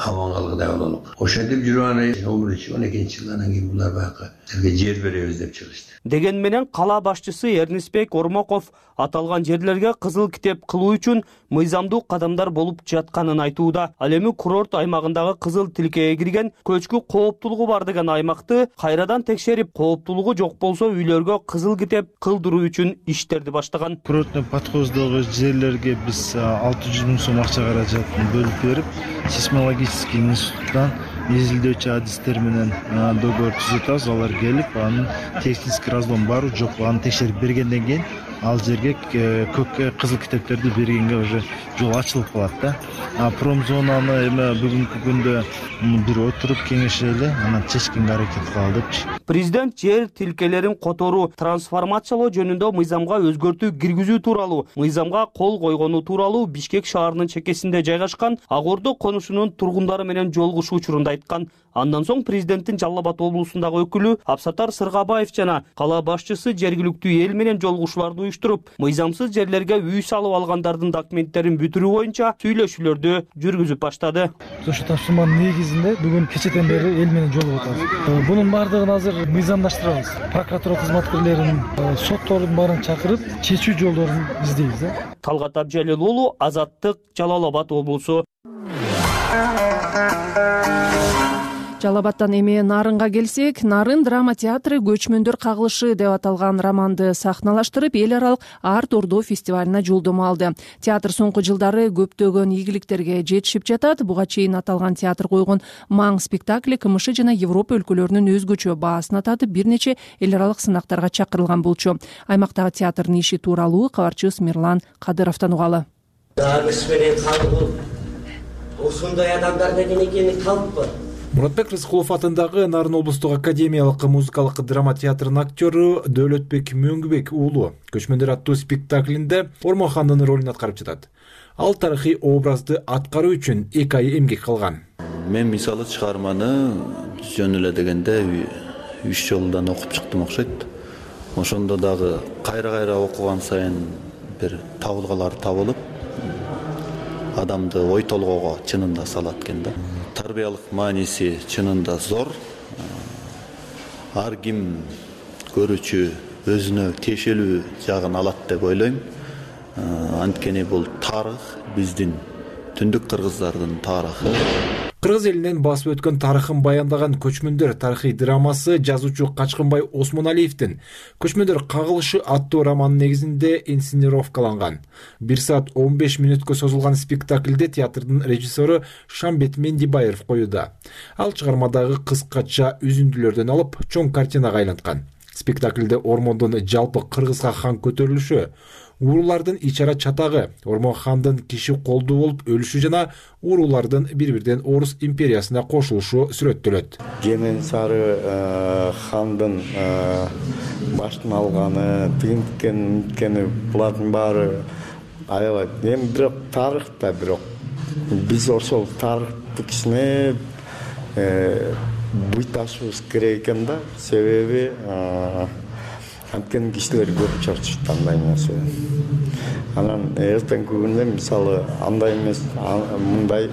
абан калгыдай бололук. Ошентип жүрүп он экинчи жылдан кийин булар баягы жерге жер беребиз деп чыгышты. Деген менен кала башчысы Эрнисбек Ормоков аталган жерлерге кызыл китеп кылуу үчүн мыйзамдуу кадамдар болуп жатканын айтууда. Ал эми курорт аймагындагы кызыл тилкеге кирген көчкү кооптуулугу бар деген аймакты кайрадан текшерип, кооптуулугу жок болсо үйлөргө кызыл китеп кылдыруу үчүн иштерди баштаган. Курорттун подходдогу жерлерге биз алты жүз миң сом акча каражатын бөлүп берип, сейсмологический институттан изилдөөчү адистер менен договор түзүп атабыз. Алар келип, анын технический разлом барбы жокпу аны текшерип бергенден кийин ал жерге көккө кызыл китептерди бергенге уже жол ачылып калат да. А промзонаны эме бүгүнкү күндө бир отуруп кеңешели, анан чечкенге аракет кылалы депчи. Президент жер тилкелерин которуу, трансформациялоо жөнүндө мыйзамга өзгөртүү киргизүү тууралуу, мыйзамга кол койгону тууралуу Бишкек шаарынын чекесинде жайгашкан Ак Ордо конушунун тургундары менен жолугушуу учурунда айткан. Андан соң президенттин Жалал Абад облусундагы өкүлү Абсатар Сыргабаев жана кала башчысы жергиликтүү эл менен жолугушууларды уюштуруп, мыйзамсыз жерлерге үй салып алгандардын документтерин бүтүрүү боюнча сүйлөшүүлөрдү жүргүзүп баштады. Ошол тапшырманын негизинде бүгүн кечеден бери эл менен жолугуп атабыз. Бунун баардыгын азыр мыйзамдаштырабыз. Прокуратура кызматкерлерин, соттордун баарын чакырып, чечүү жолдорун издейбиз. Талгат Абжалил уулу, Азаттык, Жалал Абад облусу. Жалал Абадтан эми Нарынга келсек, Нарын драма театры көчмөндөр кагылышы деп аталган романды сахналаштырып, эл аралык Арт Ордо фестивалына жолдомо алды. Театр соңку жылдары көптөгөн ийгиликтерге жетишип жатат. Буга чейин аталган театр койгон Маң спектакли КМШ жана Европа өлкөлөрүнүн өзгөчө баасын ататып, бир нече эл аралык сынактарга чакырылган болчу. Аймактагы театрдын иши тууралуу кабарчыбыз Мирлан Кадыровдон угалы. Дармыш менен калгыл ушундай адамдар деген экени калппы? Муратбек Рыскулов атындагы Нарын облустук академиялык музыкалык драма театрынын актёру Дөөлөтбек Мөңгүбек уулу Көчмөндөр аттуу спектаклинде Ормохандын ролун аткарып жатат. Ал тарыхый образды аткаруу үчүн эки ай эмгек кылган. Мен мисалы чыгарманы жөн эле дегенде үч жолдан окуп чыктым окшойт. Ошондо дагы кайра-кайра окуган сайын бир табылгалар табылып, адамды ой толгоого чынында салат экен да. Тарбиялык мааниси чынында зор. Ар ким көрүүчү өзүнө тиешелүү жагын алат деп ойлойм. Анткени бул тарых, биздин түндүк кыргыздардын тарыхы. Кыргыз элинен басып өткөн тарыхын баяндаган Көчмөндөр тарыхый драмасы жазуучу Качкынбай Осмоналиевдин Көчмөндөр кагылышы аттуу романынын негизинде инсценировкаланган. бир саат он беш мүнөткө созулган спектаклде театрдын режиссеру Шамбет Мендибаев коюуда. Ал чыгармадагы кыскача үзүндүлөрдөн алып чоң картинага айланткан. Спектаклде Ормондун жалпы кыргызга хан көтөрүлүшү, уруулардын ичара чатагы, Ормон хандын киши колдуу болуп өлүшү жана уруулардын бири-бирден Орус империясына кошулушу сүрөттөлөт. Жемен сары хандын баштын алганы, тигинткени, мынткени булардын баары аябай. Эми бирок тарых да бирок биз ошол тарыхты кичине буйташыбыз керек экен да. Себеби анткени кишилер көрүп чарчышты андай нерсе. Анан эртеңки күндө мисалы андай эмес, мындай,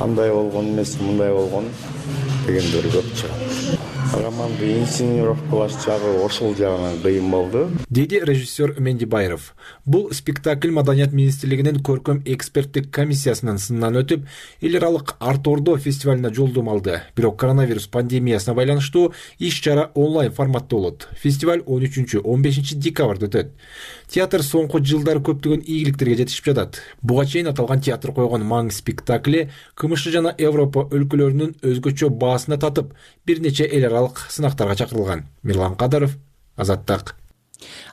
андай болгон эмес, мындай болгон дегендер көп чыгат. романды инсценировкалаш жагы ошол жагынан кыйын болду, деди режиссер Мендибаев. Бул спектакль Маданият министрлигинин көркөм эксперттик комиссиясынын сынынан өтүп, эл аралык Арт Ордо фестивалына жолдом алды. Бирок коронавирус пандемиясына байланыштуу иш-чара онлайн форматта болот. Фестиваль он үчүнчү он бешинчи декабрда өтөт. Театр соңку жылдары көптөгөн ийгиликтерге жетишип жатат. Буга чейин аталган театр койгон маң спектакли КМШ жана Европа өлкөлөрүнүн өзгөчө баасына татып, бир нече эл аралык сынактарга чакырылган. Мирлан Кадаров, Азаттык.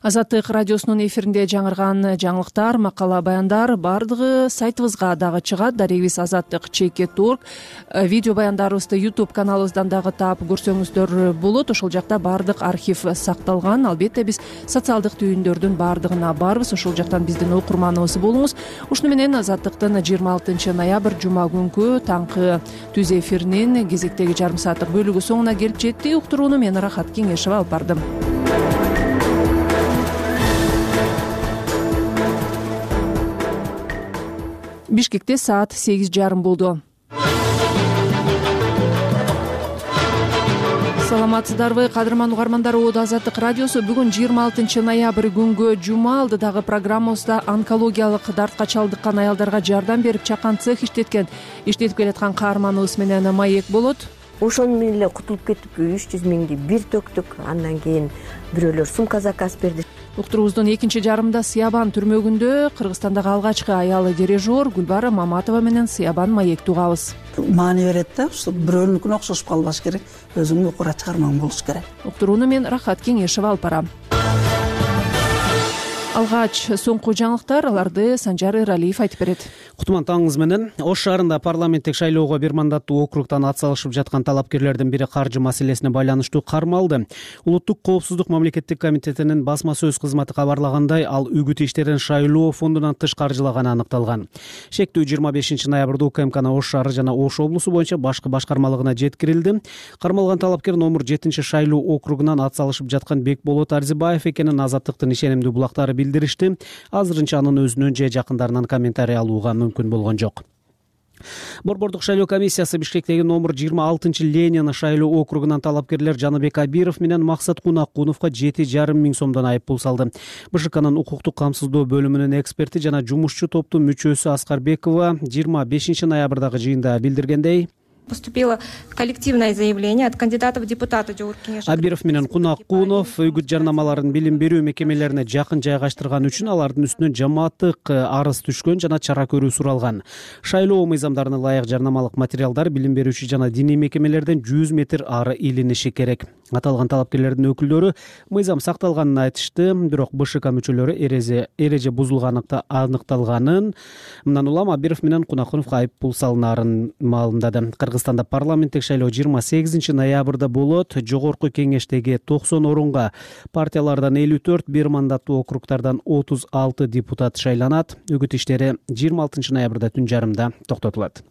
Азаттык радиосунун эфиринде жаңырган жаңылыктар, макала, баяндар бардыгы сайтыбызга дагы чыгат. Дарегибиз Азаттык чекит орг. Видео баяндарыбызды YouTube каналыбыздан дагы таап көрсөңүздөр болот. Ошол жакта бардык архив сакталган. Албетте биз социалдык түйүндөрдүн бардыгына барбыз. Ошол жактан биздин окурманыбыз болуңуз. Ушуну менен Азаттыктын жыйырма алтынчы ноябрь жума күнкү таңкы түз эфиринин кезектеги жарым сааттык бөлүгү соңуна келип жетти. Уктурууну мен Рахат Кеңешева алып бардым. Бишкекте саат сегиз жарым болду. Саламатсыздарбы, кадырман угармандар, Оодо Азаттык радиосу бүгүн жыйырма алтынчы ноябрь күнгө жума алдыдагы программабызда онкологиялык дартка чалдыккан аялдарга жардам берип чакан цех иштеткен, иштетип келаткан каарманыбыз менен маек болот. Ошол менен эле кутулуп кеттик, үч жүз миңди бир төктүк, андан кийин бирөөлөр сумка заказ берди. Уктуруубуздун экинчи жарымында Сыябан түрмөгүндө Кыргызстандагы алгачкы аялы дирижер Гүлбара Маматова менен Сыябан маекти угабыз. Маани берет да, ушу бирөөнүкүнө окшошуп калбаш керек, өзүңдүн укура чыгармаң болуш керек. Уктурууну мен Рахат Кеңешева алып барам. Алгач соңку жаңылыктар, аларды Санжар Эралиев айтып берет. Кутман таңыңыз менен. Ош шаарында парламенттик шайлоого бир мандаттуу округтан ат салышып жаткан талапкерлердин бири каржы маселесине байланыштуу кармалды. Улуттук коопсуздук мамлекеттик комитетинин басма сөз кызматы кабарлагандай, ал үгүт иштерин шайлоо фондунан тыш каржылаганы аныкталган. Шектүү жыйырма бешинчи ноябрда УКМКны Ош шаары жана Ош облусу боюнча башкы башкармалыгына жеткирилди. Кармалган талапкер номер жетинчи шайлоо округунан ат салышып жаткан Бекболот Арзибаев экенин Азаттыктын ишенимдүү булактары билдиришти. Азырынча анын өзүнөн же жакындарынан комментарий алууга мүмкүн болгон жок. Борбордук шайлоо комиссиясы Бишкектеги номер жыйырма алтынчы Ленин шайлоо округунан талапкерлер Жаныбек Абиров менен Максат Кунакуновго жети жарым миң сомдон айып пул салды. БШКнын укуктук камсыздоо бөлүмүнүн эксперти жана жумушчу топтун мүчөсү Аскарбекова жыйырма бешинчи ноябрдагы жыйында билдиргендей, Поступило коллективное заявление от кандидатов в депутаты Жогорку Кеңеш. Абиров менен Кунакунов үгүт жарнамаларын билим берүү мекемелерине жакын жайгаштырган үчүн алардын үстүнөн жамааттык арыз түшкөн жана чара көрүү суралган. Шайлоо мыйзамдарына ылайык жарнамалык материалдар билим берүүчү жана диний мекемелерден жүз метр ары илиниши керек. Аталган талапкерлердин өкүлдөрү мыйзам сакталганын айтышты, бирок БШК мүчөлөрү эреже эреже бузулганы аныкталганын, мындан улам Абиров менен Кунакуновго айып пул салынаарын маалымдады. Кыргызстанда парламенттик шайлоо жыйырма сегизинчи ноябрда болот. Жогорку кеңештеги токсон орунга партиялардан элүү төрт, бир мандаттуу округтардан отуз алты депутат шайланат. Үгүт иштери жыйырма алтынчы ноябрда түн жарымда токтотулат.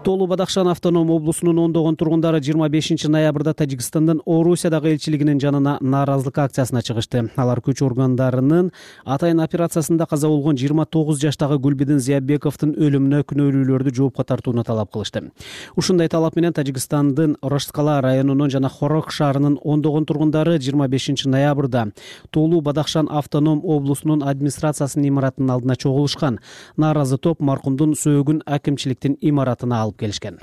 Тоолуу Бадахшан автоном облусунун ондогон тургундары жыйырма бешинчи ноябрда Тажикстандын Орусиядагы элчилигинин жанына нааразылык акциясына чыгышты. Алар күч органдарынын атайын операциясында каза болгон жыйырма тогуз жаштагы Гүлбидин Зиябековдун өлүмүнө күнөөлүүлөрдү жоопко тартууну талап кылышты. Ушундай талап менен Тажикстандын Рошткала районунун жана Хорок шаарынын ондогон тургундары жыйырма бешинчи ноябрда Тоолуу Бадахшан автоном облусунун администрациясынын имаратынын алдына чогулушкан. Нааразы топ маркумдун сөөгүн акимчиликтин имаратына алып келишкен.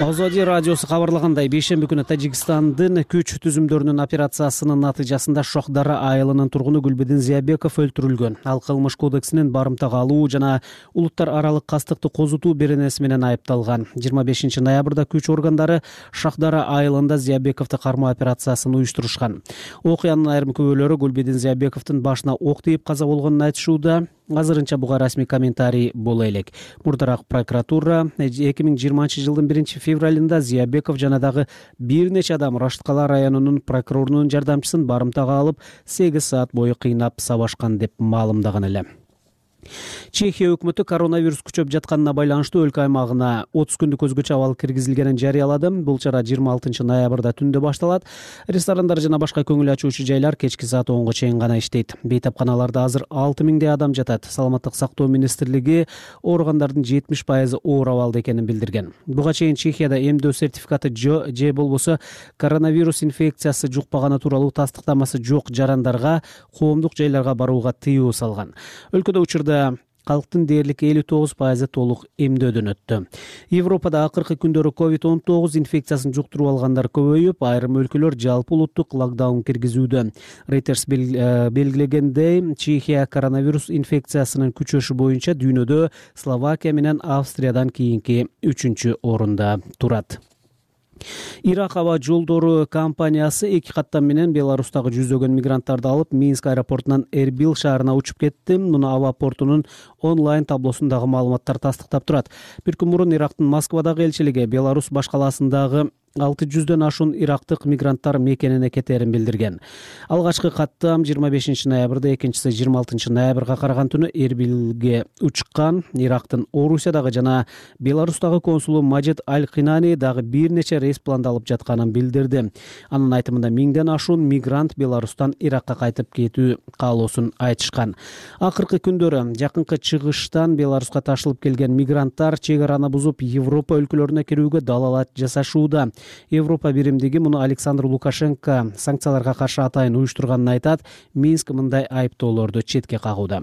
Озоди радиосу кабарлагандай, бейшемби күнү Тажикстандын күч түзүмдөрүнүн операциясынын натыйжасында Шохдара айылынын тургуну Гүлбидин Зиябеков өлтүрүлгөн. Ал кылмыш кодексинин барымтага алуу жана улуттар аралык кастыкты козутуу беренеси менен айыпталган. жыйырма бешинчи ноябрда күч органдары Шохдара айылында Зиябековду кармоо операциясын уюштурушкан. Окуянын айрым күбөлөрү Гүлбидин Зиябековдун башына ок тийип каза болгонун айтышууда. Азырынча буга расмий комментарий боло элек. Мурдараак прокуратура эки миң жыйырманчы жылдын биринчи февралында Зиябеков жана дагы бир нече адам Рошткала районунун прокурорунун жардамчысын барымтага алып сегиз саат бою кыйнап сабашкан деп маалымдаган эле. Чехия өкмөтү коронавирус күчөп жатканына байланыштуу өлкө аймагына отуз күндүк өзгөчө абал киргизилгенин жарыялады. Бул чара жыйырма алтынчы ноябрда түндө башталат. Ресторандар жана башка көңүл ачуучу жайлар кечки саат онго чейин гана иштейт. Бейтапканаларда азыр алты миңдей адам жатат. Саламаттык сактоо министрлиги ооругандардын жетимиш пайызы оор абалда экенин билдирген. Буга чейин Чехияда эмдөө сертификаты же болбосо коронавирус инфекциясы жукпаганы тууралуу тастыктамасы жок жарандарга коомдук жайларга барууга тыюу салган. Өлкөдө учурда калктын дээрлик элүү тогуз пайызы толук эмдөөдөн өттү. Европада акыркы күндөрү ковид он тогуз инфекциясын жуктуруп алгандар көбөйүп, айрым өлкөлөр жалпы улуттук локдаун киргизүүдө. Reuters белгилегендей, Чехия коронавирус инфекциясынын күчөшү боюнча дүйнөдө Словакия менен Австриядан кийинки үчүнчү орунда турат. Ирак аба жолдору компаниясы эки каттам менен Беларустагы жүздөгөн мигранттарды алып Минск аэропортунан Эрбил шаарына учуп кетти. Муну аба портунун онлайн таблосундагы маалыматтар тастыктап турат. Бир күн мурун Ирактын Москвадагы элчилиги Беларусь башкаласындагы алты жүздөн ашуун ирактык мигранттар мекенине кетерин билдирген. Алгачкы каттам жыйырма бешинчи ноябрда, экинчиси жыйырма алтынчы ноябрга караган түнү Эрбилге учкан. Ирактын Орусиядагы жана Беларустагы консулу Маджид Аль-Кинани дагы бир нече рейс пландалып жатканын билдирди. Анын айтымында миңден ашуун мигрант Беларустан Иракка кайтып кетүү каалоосун айтышкан. Акыркы күндөрү жакынкы чыгыштан Беларуска ташылып келген мигранттар чек араны бузуп Европа өлкөлөрүнө кирүүгө далалат жасашууда. Европа биримдиги муну Александр Лукашенко санкцияларга каршы атайын уюштурганын айтат. Минск мындай айыптоолорду четке кагууда.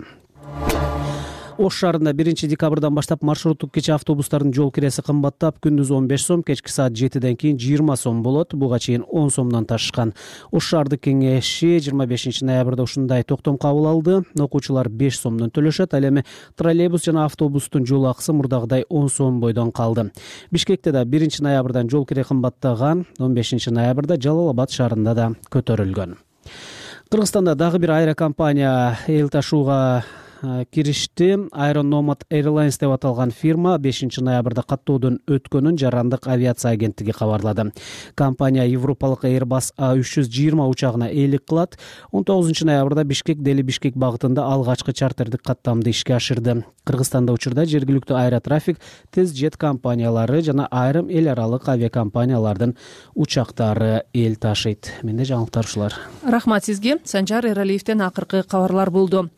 Ош шаарында биринчи декабрдан баштап маршруттук кече автобустардын жол киреси кымбаттап, күндүз он беш сом, кечки саат жетиден кийин жыйырма сом болот. Буга чейин он сомдон ташышкан. Ош шаардык кеңеши жыйырма бешинчи ноябрда ушундай токтом кабыл алды. Окуучулар беш сомдон төлөшөт, ал эми троллейбус жана автобустун жол акысы мурдагыдай он сом бойдон калды. Бишкекте да биринчи ноябрдан жол кире кымбаттаган, он бешинчи ноябрда Жалал Абад шаарында да көтөрүлгөн. Кыргызстанда дагы бир аэрокомпания эл ташууга киришти. Aeronomad Airlines деп аталган фирма бешинчи ноябрда каттоодон өткөнүн Жарандык авиация агенттиги кабарлады. Компания европалык Airbus А үч жүз жыйырма учагына ээлик кылат. он тогузунчу ноябрда Бишкек Дели Бишкек багытында алгачкы чартердик каттамды ишке ашырды. Кыргызстанда учурда жергиликтүү аэротрафик, тез жет компаниялары жана айрым эл аралык авиакомпаниялардын учактары эл ташыйт. Менде жаңылыктар ушулар. Рахмат сизге. Санжар Эралиевден акыркы кабарлар болду.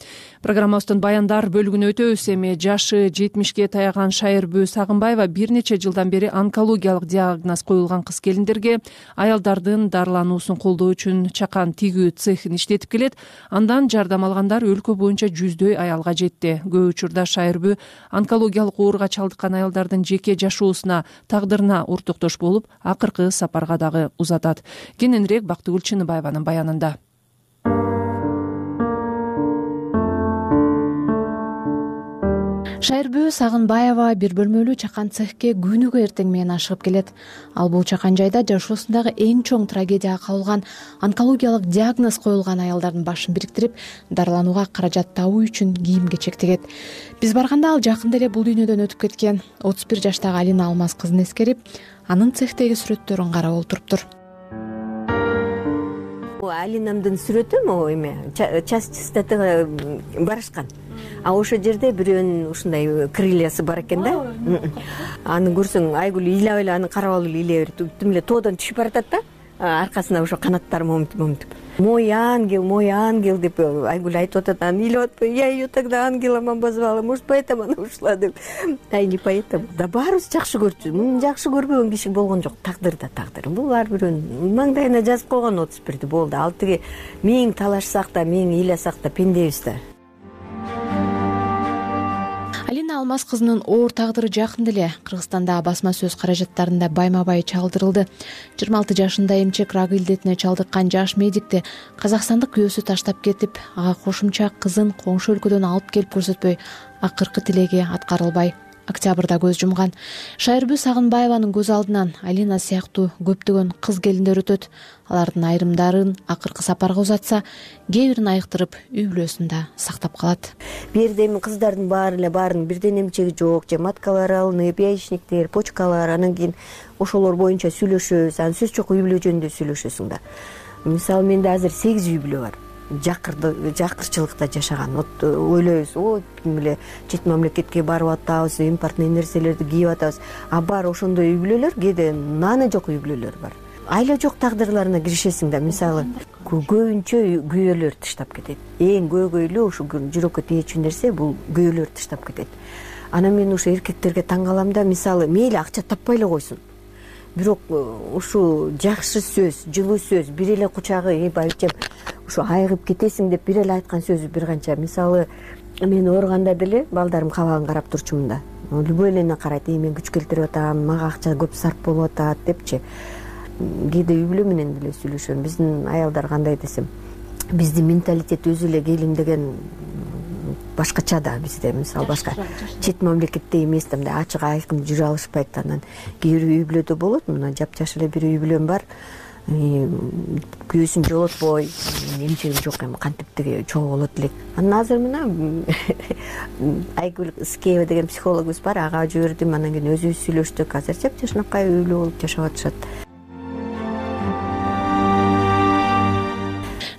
Программабыздын баяндар бөлүгүнө өтөбүз. Эми жашы жетимишке таяган Шайырбүү Сагынбаева бир нече жылдан бери онкологиялык диагноз коюлган кыз келиндерге аялдардын дарылануусун колдоо үчүн чакан тигүү цехин иштетип келет. Андан жардам алгандар өлкө боюнча жүздөй аялга жетти. Көп учурда Шайырбүү онкологиялык ооруга чалдыккан аялдардын жеке жашоосуна, тагдырына ортоктош болуп, акыркы сапарга дагы узатат. Кененирээк Бактыгүл Чыныбаеванын баянында. Шайырбүү Сагынбаева бир бөлмөлүү чакан цехке күнүгө эртең менен ашыгып келет. Ал бул чакан жайда жашоосундагы эң чоң трагедияга кабылган, онкологиялык диагноз коюлган аялдардын башын бириктирип, дарыланууга каражат табуу үчүн кийим кечек тигет. Биз барганда ал жакында эле бул дүйнөдөн өтүп кеткен. отуз бир жаштагы Алина Алмаз кызын эскерип, анын цехтеги сүрөттөрүн карап олтуруптур. Алинамдын сүрөтү могу эме часть барышкан. А ошол жерде бирөөнүн ушундай крыльясы бар экен да. Аны көрсөң Айгүл ыйлап эле аны карап алып ыйлай берет. Тим эле тоодон түшүп баратат да. Аркасына ошо канаттары момтуп момтуп. Мой ангел, мой ангел деп Айгүл айтып атат. Аны ыйлап атпайбы? Я ее тогда ангелом обозвала. Может, поэтому она ушла деп. Ай, не поэтому. Да барыбыз жакшы көрчү. Муну жакшы көрбөгөн киши болгон жок. Тагдыр да тагдыр. Бул ар бирөөнүн маңдайына жазып койгон отуз бирди болду. Ал тиги миң талашсак да, миң ыйласак да пендебиз да. Алина Алмаз кызынын оор тагдыры жакында эле Кыргызстанда басма сөз каражаттарында байма-бай чалдырылды. жыйырма алты жашында эмчек рак илдетине чалдыккан жаш медикти казакстандык күйөөсү таштап кетип, ага кошумча кызын коңшу өлкөдөн алып келип көрсөтпөй, акыркы тилеги аткарылбай октябрда көз жумган. Шайырбүү Сагынбаеванын көз алдынан Алина сыяктуу көптөгөн кыз келиндер өтөт. Алардын айрымдарын акыркы сапарга узатса, кээ бирин айыктырып үй бүлөсүндө сактап калат. Бирде эми кыздардын баары эле баарын бирден эмчеги жок, же маткалары алынып, яичниктер, почкалар, анан кийин ошолор боюнча сүйлөшөбүз. Анан сөз жок үй бүлө жөнүндө сүйлөшөсүң да. Мисалы менде азыр сегиз үй бүлө бар. жакырды жакырчылыкта жашаган. Вот ойлойбуз, о ким эле чет мамлекетке барып атабыз, импортный нерселерди кийип атабыз. А бар ошондой үй бүлөлөр, кээде наны жок үй бүлөлөр бар. Айла жок тагдырларына киришесиң да, мисалы көбүнчө күйөөлөр таштап кетет. Эң көйгөйлүү ушу жүрөккө тиечү нерсе бул күйөөлөр таштап кетет. Анан мен ушу эркектерге таң калам да, мисалы мейли акча таппай эле койсун, бирок ушу жакшы сөз, жылуу сөз, бир эле кучагы, байбичем ушу айыгып кетесиң деп бир эле айткан сөзү бир канча. Мисалы мен ооруганда деле балдарым кабагын карап турчумун да, любой элени карайт, мен күч келтирип атам, мага акча көп сарп болуп атат депчи. Кээде үй бүлө менен деле сүйлөшөм. Биздин аялдар кандай десем, биздин менталитет өзү эле келин деген башкача да бизде. Мисалы башка чет мамлекетте эмес да, мындай ачык айкын жүрө алышпайт. Анан кээ бир үй бүлөдө болот, мына жапжаш эле бир үй бүлөм бар, күйөөсүн жолотпой, эмчегим жок эми кантип тиги чогуу болот элек. Анан азыр мына Айгүл Искеева деген психологубуз бар, ага жибердим, анан кийин өзүбүз сүйлөштүк. Азыр жапжашнакай үй бүлө болуп жашап атышат.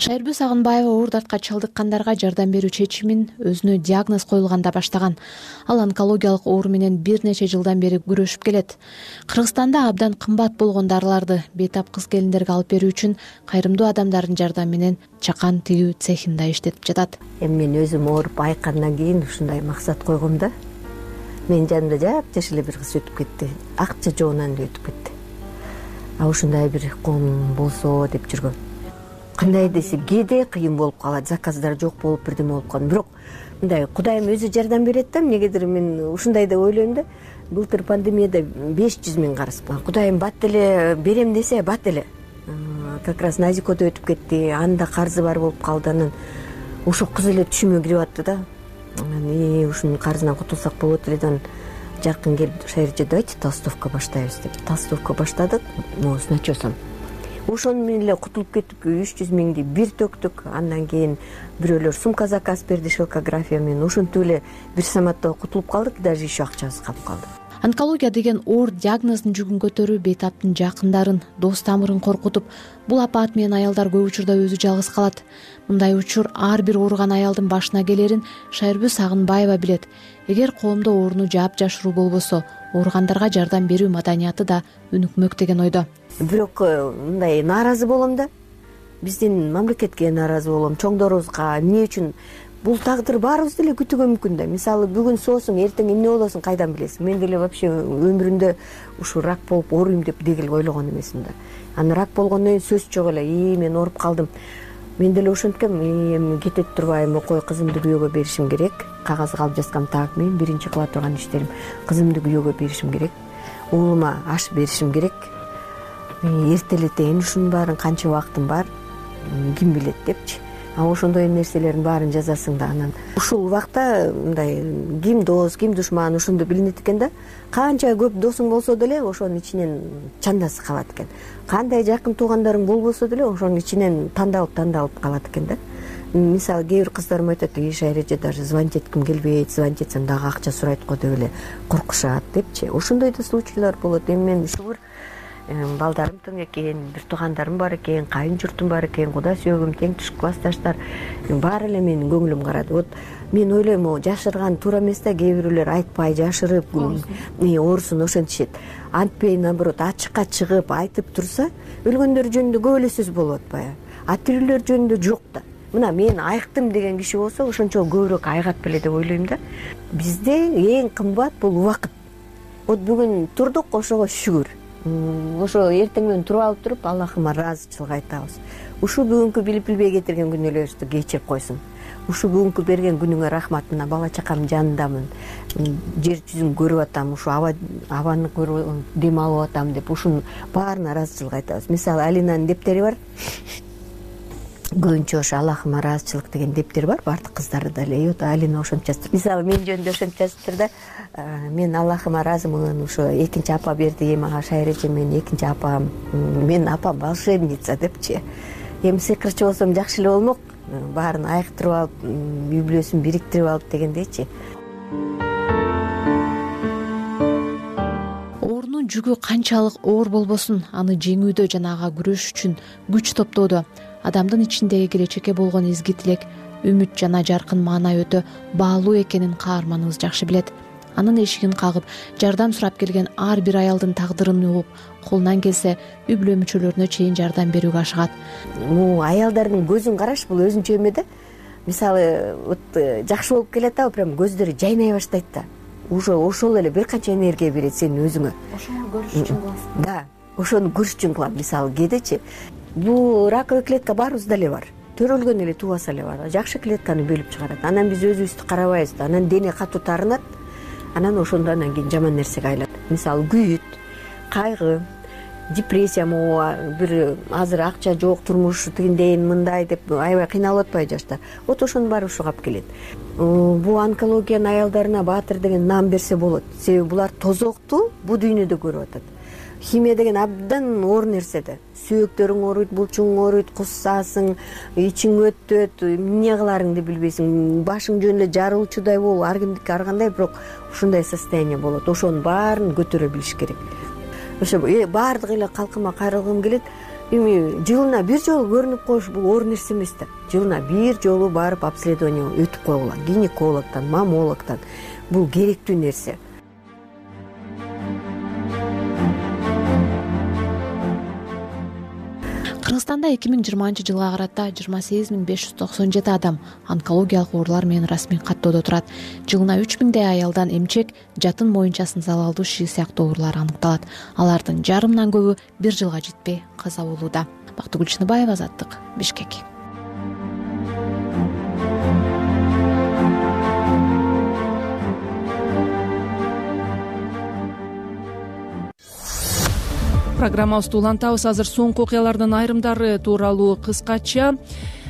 Шайырбү Сагынбаева оор дартка чалдыккандарга жардам берүү чечимин өзүнө диагноз коюлганда баштаган. Ал онкологиялык оору менен бир нече жылдан бери күрөшүп келет. Кыргызстанда абдан кымбат болгон дарыларды бейтап кыз келиндерге алып берүү үчүн кайрымдуу адамдардын жардамы менен чакан тигүү цехинда иштетип жатат. Эми мен өзүм ооруп айыккандан кийин ушундай максат койгом да. Менин жанымда жапжаш эле бир кыз өтүп кетти. Акча жогунан эле өтүп кетти. А ушундай бир ком болсо деп жүргөм. Кандай десе, кээде кыйын болуп калат, заказдар жок болуп бирдеме болуп калат. Бирок мындай Кудайым өзү жардам берет да, эмнегедир мен ушундай да ойлойм да. Былтыр пандемияда беш жүз миң карыз. Кудайым бат эле берем десе, бат эле. Как раз Назикодо өтүп кетти, анда карзы бар болуп калды. Анан ошо кыз эле түшүмө кирип атты да. Анан ушунун карзынан кутулсак болот эле да. Жакын келип Шайырчы, давайте толстовка баштайбыз деп. Толстовка баштадык, но с начесом. Ошону менен эле кутулуп кеттик, үч жүз миңди бир төктүк. Андан кийин бирөөлөр сумка заказ берди, шелкография менен. Ошентип эле бир саматта кутулуп калдык, даже еще акчабыз калып калды. Онкология деген оор диагноздун жүгүн көтөрүү бейтаптын жакындарын, дос тамырын коркутуп, бул апаат менен аялдар көп учурда өзү жалгыз калат. Мындай учур ар бир ооруган аялдын башына келерин Шайырбү Сагынбаева билет. Эгер коомдо ооруну жаап-жашыруу болбосо, ооругандарга жардам берүү маданияты да өнүкмөк деген ойдо. Бирок мындай нааразы болом да. Биздин мамлекетке нааразы болом, чоңдорубузга. Эмне үчүн? Бул тагдыр баарыбызды эле күтүүгө мүмкүн да. Мисалы бүгүн соосуң, эртең эмне болосуң кайдан билесиң? Мен деле вообще өмүрүмдө ушу рак болуп ооруйм деп дегил ойлогон эмесмин да. Анан рак болгондон кийин сөз жок эле. И мен ооруп калдым. Мен деле ошенткем, эми кетет турбайм, окой кызымды күйөөгө беришим керек. Кагазга алып жазгам, так, мен биринчи кыла турган иштерим. Кызымды күйөөгө беришим керек. Уулума аш беришим керек. Эртелетейин ушунун баарын, канча убактым бар, ким билет депчи. А ошондой нерселердин баарын жазасың да. Анан ушул убакта мындай ким дос, ким душман ошондо билинет экен да. Канча көп досуң болсо деле ошонун ичинен чандасы калат экен. Кандай жакын туугандарың болбосо деле ошонун ичинен тандалып тандалып калат экен да. Мисалы кээ бир кыздарым айтат, иш айреже даже звонить этким келбейт, звонить этсем дагы акча сурайт го деп эле коркушат депчи. Ошондой да случайлар болот. Эми мен шүгүр балдарым тең экен, бир туугандарым бар экен, кайын журтум бар экен, куда сүйөгүм, тең туш классташтар баары эле менин көңүлүм карады. Вот мен ойлойм, жашырган туура эмес да, кээ бирөөлөр айтпай жашырып, оорусун ошентишет. Антпей, наоборот, ачыкка чыгып айтып турса, өлгөндөр жөнүндө көп эле сөз болуп атпайбы? А тирүүлөр жөнүндө жок да. Мына мен айыктым деген киши болсо, ошончо көбүрөөк айыгат беле деп ойлойм да. Бизде эң кымбат бул убакыт. Вот бүгүн турдук, ошого шүгүр. Ошо эртең менен туруп алып туруп, Аллахыма ыраазычылык айтабыз. Ушу бүгүнкү билип билбей кетирген күнөөлөрүбүздү кечирип койсун. Ушу бүгүнкү берген күнүңө рахмат. Мына бала чакамдын жанындамын. Жер жүзүн көрүп атам, ушу аба абаны көрүп дем алып атам деп ушунун баарына ыраазычылык айтабыз. Мисалы Алинанын дептери бар. Көбүнчө ошо Аллахыма ыраазычылык деген дептер бар, баардык кыздар деле. И вот Алина ошентип жазыптыр. Мисалы мен жөнүндө ошентип жазыптыр да. Мен Аллахыма ыраазымын, ошо экинчи апа берди мага Шайыр эже, мен экинчи апам, менин апам волшебница депчи. Эми сыйкырчы болсом жакшы эле болмок, баарын айыктырып алып, үй бүлөсүн бириктирип алып дегендейчи. Оорунун жүгү канчалык оор болбосун, аны жеңүүдө жана ага күрөш үчүн күч топтоодо адамдын ичиндеги келечекке болгон изги тилек, үмүт жана жаркын маанай өтө баалуу экенин каарманыбыз жакшы билет. Анын эшигин кагып, жардам сурап келген ар бир аялдын тагдырын угуп, колунан келсе үй бүлө мүчөлөрүнө чейин жардам берүүгө ашыгат. Бул аялдардын көзүн караш бул өзүнчө эме да. Мисалы, вот жакшы болуп келатабы, прям көздөрү жайнай баштайт да. Уже ошол эле бир канча энергия берет сенин өзүңө. Ошону көрүш үчүн кыласың. Да, ошону көрүш үчүн кылам. Мисалы, кээдечи бул раковый клетка баарыбызда эле бар. Төрөлгөн эле тубаса эле бар. Жакшы клетканы бөлүп чыгарат. Анан биз өзүбүздү карабайбыз да. Анан дене катуу тарынат. Анан ошондо анан кийин жаман нерсеге айланат. Мисалы, күйүт, кайгы, депрессия, могу бир азыр акча жок, турмуш тигиндейин, мындай деп аябай кыйналып атпайбы жаштар. Вот ошонун баары ушуга алып келет. Бул онкологиянын аялдарына баатыр деген наам берсе болот. Себеби булар тозокту бул дүйнөдө көрүп атат. Химия деген абдан оор нерсе да. Сөөктөрүң ооруйт, булчуң ооруйт, куссасың, ичиң өтөт, эмне кыларыңды билбейсиң, башың жөн эле жарылуучудай болуп, ар кимдики ар кандай, бирок ушундай состояние болот. Ошонун баарын көтөрө билиш керек. Ошо баардык эле калкыма кайрылгым келет. Эми жылына бир жолу көрүнүп коюш бул оор нерсе эмес да. Жылына бир жолу барып обследование өтүп койгула, гинекологтон, мамологтон. Бул керектүү нерсе. Кыргызстанда эки миң жыйырманчы жылга карата жыйырма сегиз миң беш жүз токсон жети адам онкологиялык оорулар менен расмий каттоодо турат. Жылына үч миңдей аялдан эмчек, жатын моюнчасынын залалдуу шиши сыяктуу оорулар аныкталат. Алардын жарымынан көбү бир жылга жетпей каза болууда. Бактыгүл Чыныбаева, Азаттык, Бишкек. Программабызды улантабыз. Азыр соңку окуялардын айрымдары тууралуу кыскача.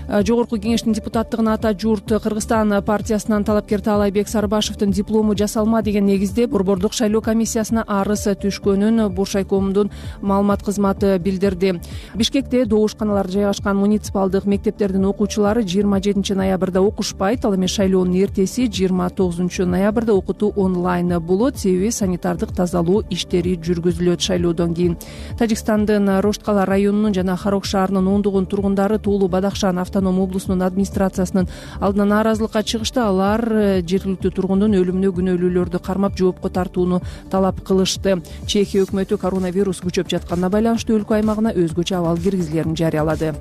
Жогорку кеңештин депутаттыгына ата журт Кыргызстан партиясынан талапкер Таалайбек Сарбашевдин диплому жасалма деген негизде Борбордук шайлоо комиссиясына арыз түшкөнүн Буршайкомдун маалымат кызматы билдирди. Бишкекте добушканалар жайгашкан муниципалдык мектептердин окуучулары жыйырма жетинчи ноябрда окушпайт. Ал эми шайлоонун эртеси жыйырма тогузунчу ноябрда окутуу онлайн болот. Себеби санитардык тазалоо иштери жүргүзүлөт. Шайлоодон кийин Тажикстандын Рошткала районунун жана Харок шаарынын ондогон тургундары Туулу Бадахшан автоном облусунун администрациясынын алдына нааразылыкка чыгышты. Алар жергиликтүү тургундун өлүмүнө күнөөлүүлөрдү кармап жоопко тартууну талап кылышты. Чехия өкмөтү коронавирус күчөп жатканына байланыштуу өлкө аймагына өзгөчө абал киргизилерин жарыялады.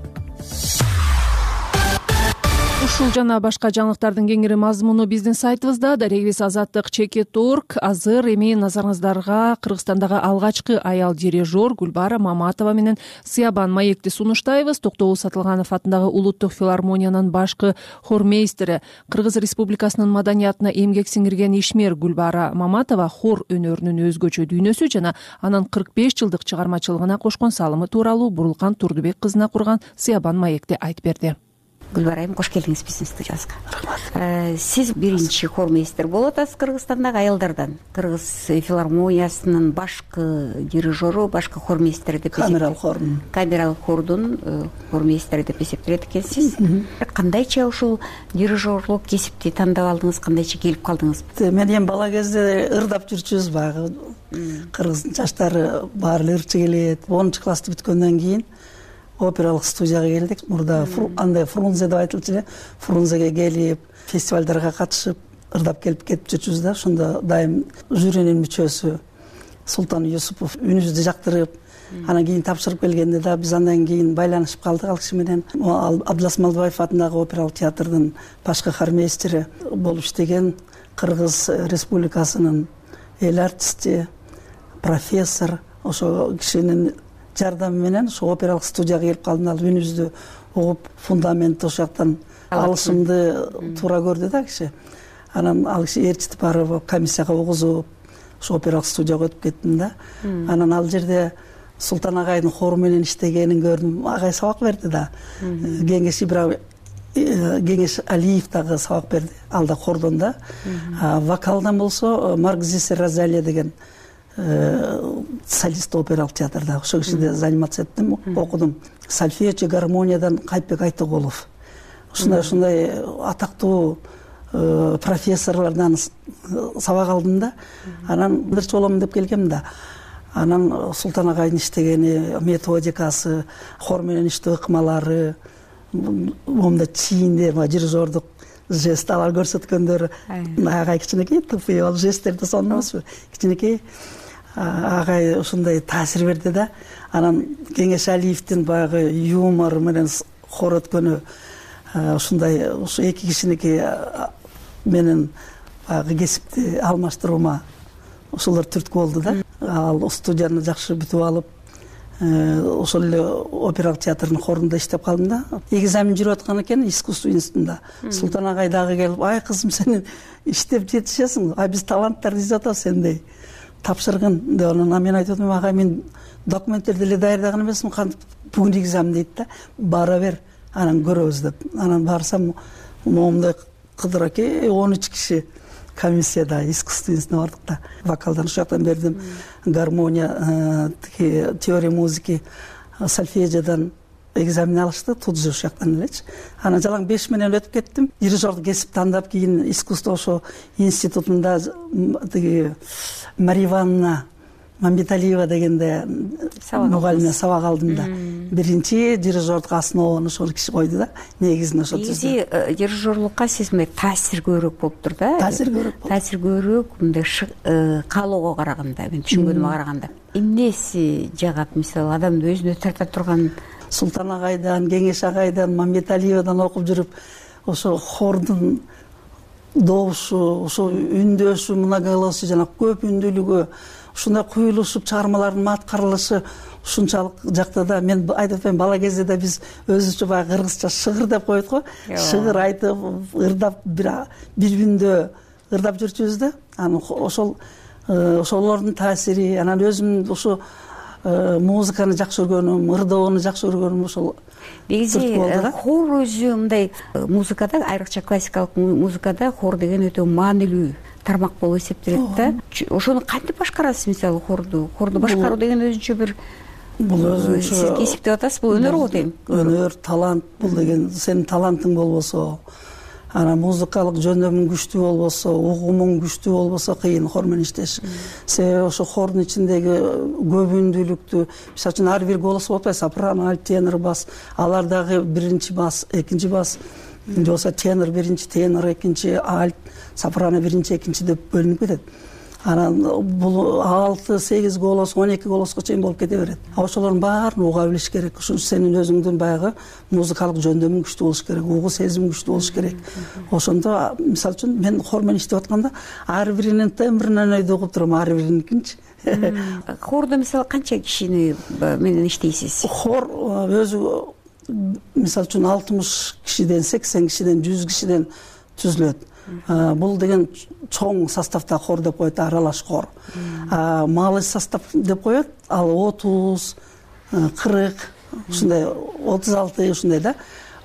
Ушул жана башка жаңылыктардын кеңири мазмуну биздин сайтыбызда. Дарегибиз Азаттык чекит орг. Азыр эми назарыңыздарга Кыргызстандагы алгачкы аял дирижер Гүлбара Маматова менен Сыябан маекти сунуштайбыз. Токтогул Сатылганов атындагы улуттук филармониянын башкы хормейстери, Кыргыз Республикасынын маданиятына эмгек сиңирген ишмер Гүлбара Маматова хор өнөрүнүн өзгөчө дүйнөсү жана анын кырк беш жылдык чыгармачылыгына кошкон салымы тууралуу Бурулкан Турдубек кызына курган Сыябан маекти айтып берди. Гүлбара айым, кош келдиңиз биздин студиябызга. Рахмат. Сиз биринчи хормейстер болуп атасыз Кыргызстандагы аялдардан. Кыргыз филармониясынын башкы дирижеру, башкы хормейстери деп камералык хордун. Камералык хордун хормейстери деп эсептелет экенсиз. Кандайча ушул дирижерлук кесипти тандап алдыңыз, кандайча келип калдыңыз? Мен эми бала кезде ырдап жүрчүбүз баягы. Кыргыздын жаштары баары эле ырчы келет. онунчу классты бүткөндөн кийин опералык студияга келдик. Мурда андай Фрунзе деп айтылчу эле. Фрунзеге келип, фестивалдарга катышып, ырдап келип кетип жүрчүбүз да. Ошондо дайым жюринин мүчөсү Султан Юсупов үнүбүздү жактырып, анан кийин тапшырып келгенде да биз андан кийин байланышып калдык ал киши менен. Абдылас Малдыбаев атындагы опералык театрдын башкы хормейстери болуп иштеген, Кыргыз Республикасынын эл артисти, профессор. Ошо кишинин жардамы менен ошо опералык студияга келип калдым. Ал үнүбүздү угуп, фундаментти ошол жактан алышымды туура көрдү да киши. Анан ал киши ээрчитип барып комиссияга угузуп, ошо опералык студияга өтүп кеттим да. Анан ал жерде Султан агайдын хору менен иштегенин көрдүм. Агай сабак берди да. Кеңеш Ибраев Кеңеш Алиев дагы сабак берди. Ал да хордон да. Вокалдан болсо Маркзис Розалия деген солист опералык театрда ошол кишиде заниматься эттим, окудум. Сольфеджио, гармониядан Кайпбек Айтыгулов. Ушундай ушундай атактуу профессорлордон сабак алдым да. Анан биринчи болом деп келгем да. Анан Султан агайдын иштегени, методикасы, хор менен иштөө ыкмалары, момунда чийинде дирижердук жест алар көрсөткөндөр агай кичинекей тупый ал жесттерди сонунбузбу кичинекей агай ушундай таасир берди да. Анан Кеңешалиевдин баягы юмор менен хор өткөнү ушундай ушу эки кишиники менен баягы кесипти алмаштыруума ошолор түрткү болду да. Ал студияны жакшы бүтүп алып ошол эле опералык театрдын хорунда иштеп калдым да. Экзамен жүрүп аткан экен искусство институтунда. Султан агай дагы келип, ай кызым сен иштеп жетишесиң, а биз таланттарды издеп атабыз сендей тапшыргын деп. Анан мен айтып атам, агай мен документтерди деле даярдаган эмесмин, кантип бүгүн экзамен дейт да, бара бер анан көрөбүз деп. Анан барсам момундай кыдыраке он үч киши комиссияда искусство институтуна бардык да. Вокалдан ушул жактан бердим, гармония, теория музыки, сольфеджиодон экзамен алышты, тут же ушул жактан элечи. Анан жалаң беш менен өтүп кеттим. Дирижерду кесип тандап, кийин искусство ошо институтунда тиги Мария Ивановна Мамбеталиева дегенде мугалиме сабак алдым да. Биринчи дирижердук основаны ошол киши койду да. Негизин ошол негизи дирижерлукка сиз мындай таасир көбүрөөк болуптур да. Таасир көбүрөөк. Таасир көбүрөөк мындай каалоого караганда, мен түшүнгөнүмө караганда. Эмнеси жагат, мисалы адамды өзүнө тарта турган? Султан агайдан, Кеңеш агайдан, Мамбеталиевадан окуп жүрүп, ошо хордун добушу, ошо үндөшү, многоголосие жана көп үндүүлүгү, ушундай куюлушуп чыгармалардын аткарылышы ушунчалык жакта да. Мен айтып атпаймынбы, бала кезде да биз өзүбүзчө баягы кыргызча шыгыр деп коет го. Шыгыр айтып, ырдап бир бир үндө ырдап жүрчүбүз да. Анан ошол ошолордун таасири, анан өзүм ушу музыканы жакшы көргөнүм, ырдоону жакшы көргөнүм ошол. Негизи хор өзү мындай музыкада, айрыкча классикалык музыкада хор деген өтө маанилүү тармак болуп эсептелет да. Ошону кантип башкарасыз, мисалы хорду? Хорду башкаруу деген өзүнчө бир бул өзүнчө сиз кесип деп атасыз, бул өнөр го дейм. Өнөр, талант бул деген, сенин талантың болбосо, анан музыкалык жөндөмүң күчтүү болбосо, угумуң күчтүү болбосо кыйын хор менен иштеш. Себеби ошо хордун ичиндеги көп үндүүлүктү, мисалы үчүн ар бир голос болуп атпайбы, сопрано, альт, тенор, бас, алар дагы биринчи бас, экинчи бас, же болбосо тенор биринчи, тенор экинчи, альт, сопрано биринчи, экинчи деп бөлүнүп кетет. Анан бул алты сегиз голос, он эки голоско чейин болуп кете берет. Ошолордун баарын уга билиш керек. Ошон сенин өзүңдүн баягы музыкалык жөндөмүң күчтүү болуш керек, угуу сезимиң күчтүү болуш керек. Ошондо мисалы үчүн мен хор менен иштеп атканда ар биринин тембринен ойду угуп турам, ар бириникинчи. Хордо мисалы канча кишини менен иштейсиз? Хор өзү мисалы үчүн алтымыш кишиден, сексен кишиден, жүз кишиден түзүлөт. Бул деген чоң составда хор деп коет, аралаш хор. Малый состав деп коет, ал отуз, кырк, ушундай отуз алты ушундай да.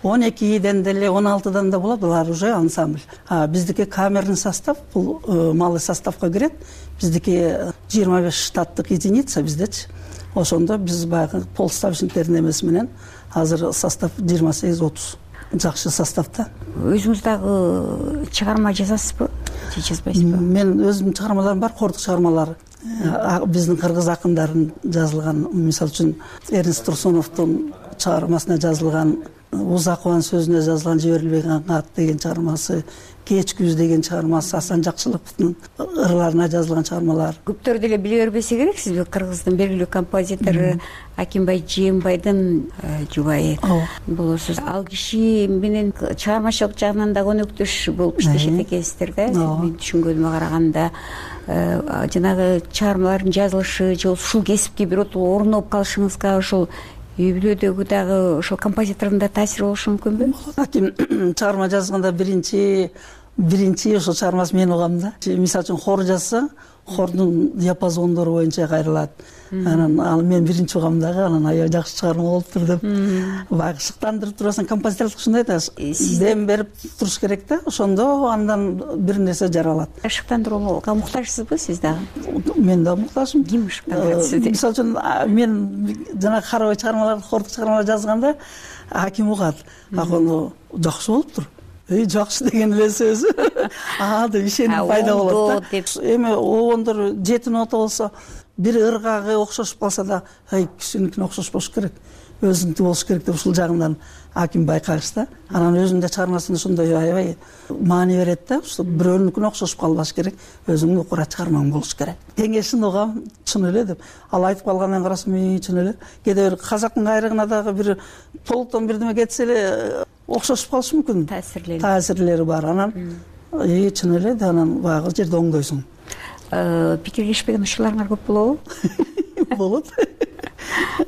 он экиден деле, он алтыдан да болот, булар уже ансамбль. Биздики камерный состав, бул малый составка кирет. Биздики жыйырма беш штаттык единица биздечи. Ошондо биз баягы полставочниктердин эмеси менен азыр состав жыйырма сегиз отуз. Жакшы составда. Өзүңүз дагы чыгарма жазасызбы? Же жазбайсызбы? Мен өзүмдүн чыгармаларым бар, хордук чыгармалар. Биздин кыргыз акындарын жазылган, мисалы үчүн Эрнст Турсуновдун чыгармасына жазылган, Узакованын сөзүнө жазылган Жиберилбеген кат деген чыгармасы, Кеч күз деген чыгармасы, Асан Жакшылыковдун ырларына жазылган чыгармалар. Көптөр деле биле бербесе керек, сиз Кыргыздын белгилүү композитору Акимбай Жээнбайдын жубайы болосуз. Ал киши менен чыгармачылык жагынан да өнөктөш болуп иштешет экенсиздер да. Мен түшүнгөнүмө караганда жанагы чыгармалардын жазылышы же ушул кесипке биротоло орноп калышыңызга ошол үй бүлөдөгү дагы ошол композитордун да таасири болушу мүмкүнбү? Аким чыгарма жазганда биринчи биринчи ошол чыгармасы мен угам да. Мисалы үчүн хор жазса, хордун диапазондору боюнча кайрылат. Анан ал мен биринчи угам дагы, анан аябай жакшы чыгарма болуптур деп баягы шыктандырып турасың. Композиторлук ушундай да, дем берип туруш керек да, ошондо андан бир нерсе жаралат. Шыктандырууга муктажсызбы сиз дагы? Мен да муктажмын. Ким шыктандырат сизди? Мисалы үчүн мен жана карабай чыгармаларды, хордук чыгармалар жазганда Аким угат, аны жакшы болуптур. Эй, жакшы деген эле сөзү. Аа деп ишеним пайда болот да. Эми обондор жети нота болсо, бир ыргагы окшошуп калса да, ай кишиникине окшошпош керек. өзүнүкү болуш керек деп ушул жагынан аким байкагыч да. Анан өзүнүн да чыгармасында ошондой аябай маани берет да. Ушу бирөөнүкүнө окшошуп калбаш керек, өзүңдүн укура чыгармаң болуш керек. Кеңешин угам, чын эле деп. Ал айтып калгандан карасам, чын эле. Кээде бир казактын кайрыгына дагы бир толуктон бирдеме кетсе эле окшошуп калышы мүмкүн. Таасирлери. Таасирлери бар. Анан чын эле да, анан баягы жерде оңдойсуң. Пикирлешпеген учурларыңар көп болобу? Болот.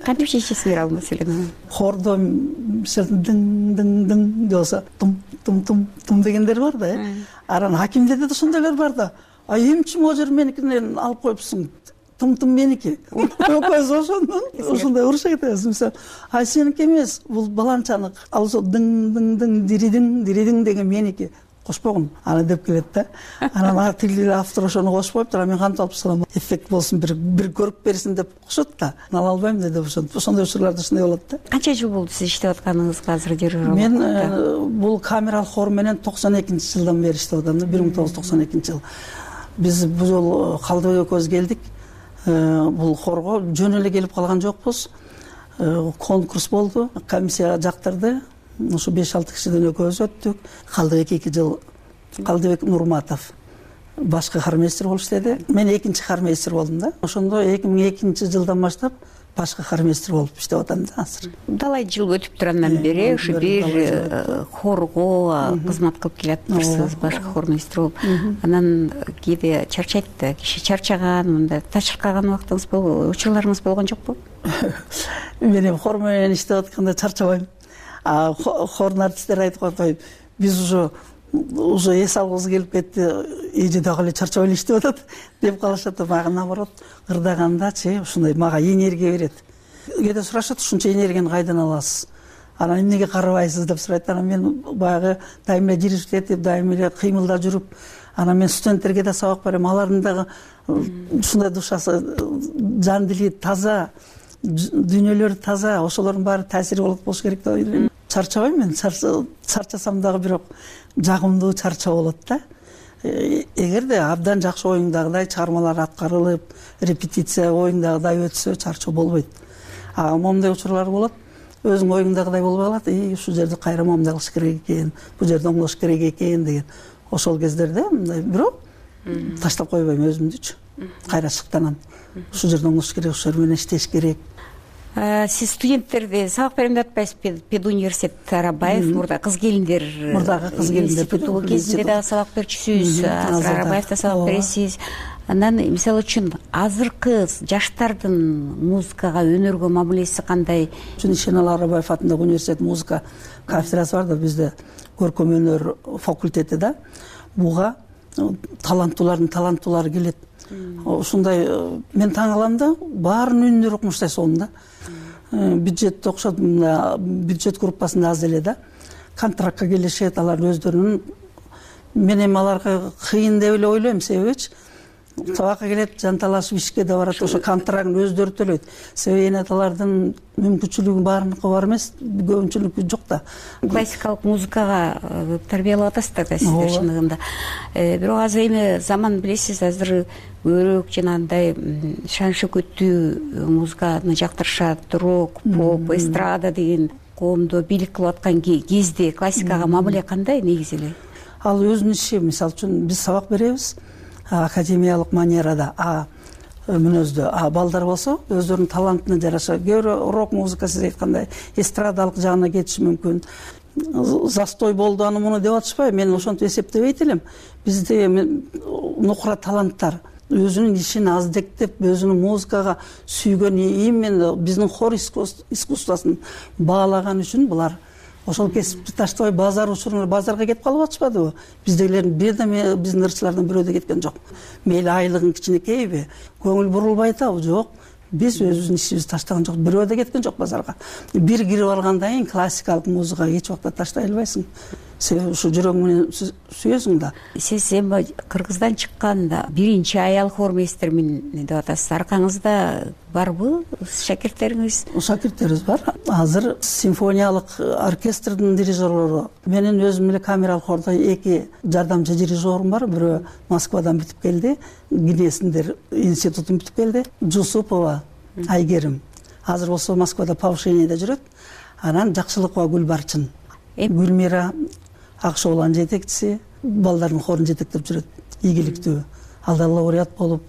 Кантип чечесиңер ал маселени? Хордо дың дың дың болсо тум тум тум тум дегендер бар да. Анан хакимдерде да ошондойлор бар да. А эмчи могу жер меникинен алып коюпсуң? Тум тум меники. Экөөбүз ошондон ошондой уруша кетебиз. Мисалы, а сеники эмес, бул баланчанык. Ал ошо дың дың дың диридиң диридиң деген меники. Кошпогун аны деп келет да. Анан тил автор ошону кошуп коюптур. Мен кантип алып салам, эффект болсун, бир бир көрүп берсин деп кошот да. Ала албайм деп ошондой ошондой учурларда ушундай болот да. Канча жыл болду сиз иштеп атканыңызга азыр дирижер? Мен бул камералык хор менен токсон экинчи жылдан бери иштеп атам да, бир миң тогуз жүз токсон экинчи жыл. Биз бул жолу Калдыбек экөөбүз келдик. Бул хорго жөн эле келип калган жокпуз. Конкурс болду, комиссия жактырды. Ушу беш алты кишиден экөөбүз өттүк. Калдыбек эки жыл, Калдыбек Нурматов башкы хормейстер болуп иштеди. Мен экинчи хормейстер болдум да. Ошондо эки миң экинчи жылдан баштап башкы хормейстер болуп иштеп атам да азыр. Талай жыл өтүптүр андан бери ушу бир хорго кызмат кылып келатырсыз, башкы хормейстер болуп. Анан кээде чарчайт да, киши чарчаган, мындай тачыркаган убактыңыз болбу, учурларыңыз болгон жокпу? Мен эми хор менен иштеп атканда чарчабайм. А хордун артисттери айтып коет, биз уже уже эс алгыбыз келип кетти, эже дагы эле чарчап эле иштеп атат деп калышат. Мага наоборот, ырдагандачы ушундай мага энергия берет. Кээде сурашат, ушунча энергияны кайдан аласыз? Анан эмнеге карабайсыз деп сурайт. Анан мен баягы дайым эле жиришип этип, дайым эле кыймылда жүрүп, анан мен студенттерге да сабак берем. Алардын дагы ушундай душасы, жан дили таза, дүйнөлөрү таза, ошолордун баары таасири болот болуш керек деп ойлойм. Чарчабайм мен, чарчасам дагы бирок жагымдуу чарчоо болот да. Эгерде абдан жакшы оюңдагыдай чыгармалар аткарылып, репетиция оюңдагыдай өтсө, чарчоо болбойт. А момундай учурлар болот, өзүң оюңдагыдай болбой калат, и ушул жерде кайра момундай кылыш керек экен, бул жерде оңдош керек экен деген. Ошол кездерде мындай бирок таштап койбойм өзүмдүчү. Кайра шыктанам. Ушул жерде оңдош керек, ушул жер менен иштеш керек. Сиз студенттерди сабак берем деп атпайсызбы? Педуниверситет Арабаев, мурда кыз келиндер, мурдагы кыз келиндер институту кезинде дагы сабак берчүсүз, азыр Арабаевда сабак бересиз. Анан мисалы үчүн азыркы жаштардын музыкага, өнөргө мамилеси кандай? Ишенал Арабаев атындагы университет музыка кафедрасы бар да, бизде көркөм өнөр факультети да. Буга таланттуулардын таланттуулары келет. Ушундай мен таң калам да, баарынын үнүнөр окумуштай сонун да. Бюджет окшот, бюджет группасында аз эле да. Контрактка келишет, алар өздөрүнүн, мен эми аларга кыйын деп эле ойлойм, себебичи сабакка келет, жанталашып ишке да барат, ошо контрактын өздөрү төлөйт. Себеби эне алардын мүмкүнчүлүгү баарыныкы бар эмес, көпчүлүкү жок да. Классикалык музыкага тарбиялап атасыздар да сиздер чындыгында. Бирок азыр эми заман билесиз, азыр өрөк жанагындай шан шөкөттүү музыканы жактырышат, рок, поп, эстрада деген коомдо бийлик кылып аткан кезде классикага мамиле кандай негизи эле? Ал өзүнүн иши, мисалы үчүн биз сабак беребиз академиялык манерада, а мүнөздө, а балдар болсо өздөрүнүн талантына жараша көбүрө рок музыка, сиз айткандай эстрадалык жагына кетиши мүмкүн. Застой болду аны муну деп атышпайбы, мен ошентип эсептебейт элем. Бизде нукура таланттар өзүнүн ишин аздектеп, өзүнүн музыкага сүйгөн, именно биздин хор искусствосын баалаган үчүн булар ошол кесипти таштабай базар учурунда базарга кетип калып атышпадыбы? Биздегилердин бир да биздин ырчылардан бирөө да кеткен жок. Мейли айлыгын кичинекейби, көңүл бурулбай атабы? Жок. Биз өзүбүздүн ишибизди таштаган жок, бирөө да кеткен жок базарга. Бир кирип алгандан кийин классикалык музыкага эч убакта таштай албайсың. Себеби ушу жүрөгүң менен сүйөсүң да. Сиз эми Кыргыздан чыкканда биринчи аял хормейстермин деп атасыз. Аркаңызда барбы шакирттериңиз? Шакирттерибиз бар. Азыр симфониялык оркестрдин дирижерлору, менин өзүм эле камералык хордо эки жардамчы дирижерим бар. Бирөө Москвадан бүтүп келди, Гинесиндер институтун бүтүп келди. Жусупова Айгерим. азыр болсо Москвада повышениеде жүрөт. Анан Жакшылыкова Гүлбарчын, Гүлмира Акшооланын жетекчиси, балдардын хорун жетектеп жүрөт. Ийгиликтүү. Ал да лауреат болуп,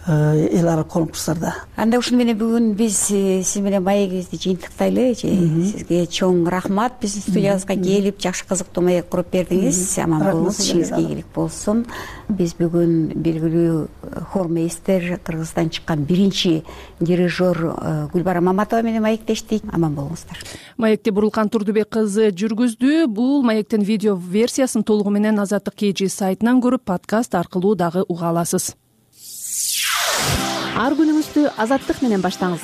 эл ара конкурстарда. Анда ушуну менен бүгүн биз сиз менен маегибизди жыйынтыктайлы. Сизге чоң рахмат. Биздин студиябызга келип, жакшы кызыктуу маек куруп бердиңиз. Аман болуңуз, ишиңизге ийгилик болсун. Биз бүгүн белгилүү хормейстер, Кыргыздан чыккан биринчи дирижер Гүлбара Маматова менен маектештик. Аман болуңуздар. Маекти Бурулкан Турдубек кызы жүргүздү. Бул маектин видео версиясын толугу менен Азаттык kg сайтынан көрүп, подкаст аркылуу дагы уга аласыз. Ар күнүңүздү Азаттык менен баштаңыз.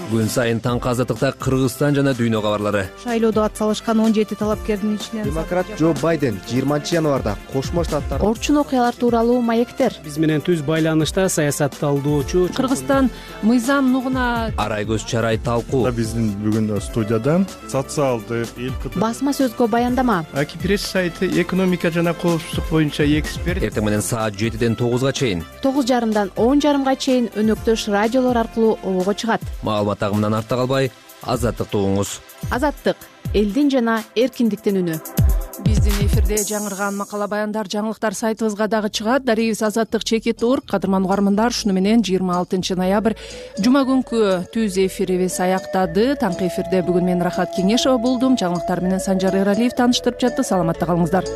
Күн сайын таңкы Азаттыкта Кыргызстан жана дүйнө кабарлары. Шайлоодо ат салышкан он жети талапкердин ичинен демократ Джо Байден жыйырманчы январда Кошмо Штаттар орчун окуялар тууралуу маектер. Биз менен түз байланышта саясатталдоочу Кыргызстан мыйзам нугуна арай көз чарай талкуу. Биздин бүгүн студияда социалдык эл басма сөзгө баяндама. Аки пресс сайты экономика жана коопсуздук боюнча эксперт. Эртең менен саат жетиден тогузга чейин, тогуз жарымдан он жарымга чейин өнөктөш радиолор аркылуу обого чыгат. Маалымат агымынан артта калбай, Азаттыкты угуңуз. Азаттык — элдин жана эркиндиктин үнү. Биздин эфирде жаңырган макала баяндар, жаңылыктар сайтыбызга дагы чыгат. Дарегибиз азаттык чекит точка орг. Кадырман угармандар, шуну менен жыйырма алтынчы ноябрь жума күнкү түз эфирибиз аяктады. Таңкы эфирде бүгүн мен Рахат Кеңешова болдум. Жаңылыктар менен Санжар Эралиев тааныштырып жатты. Саламатта калыңыздар.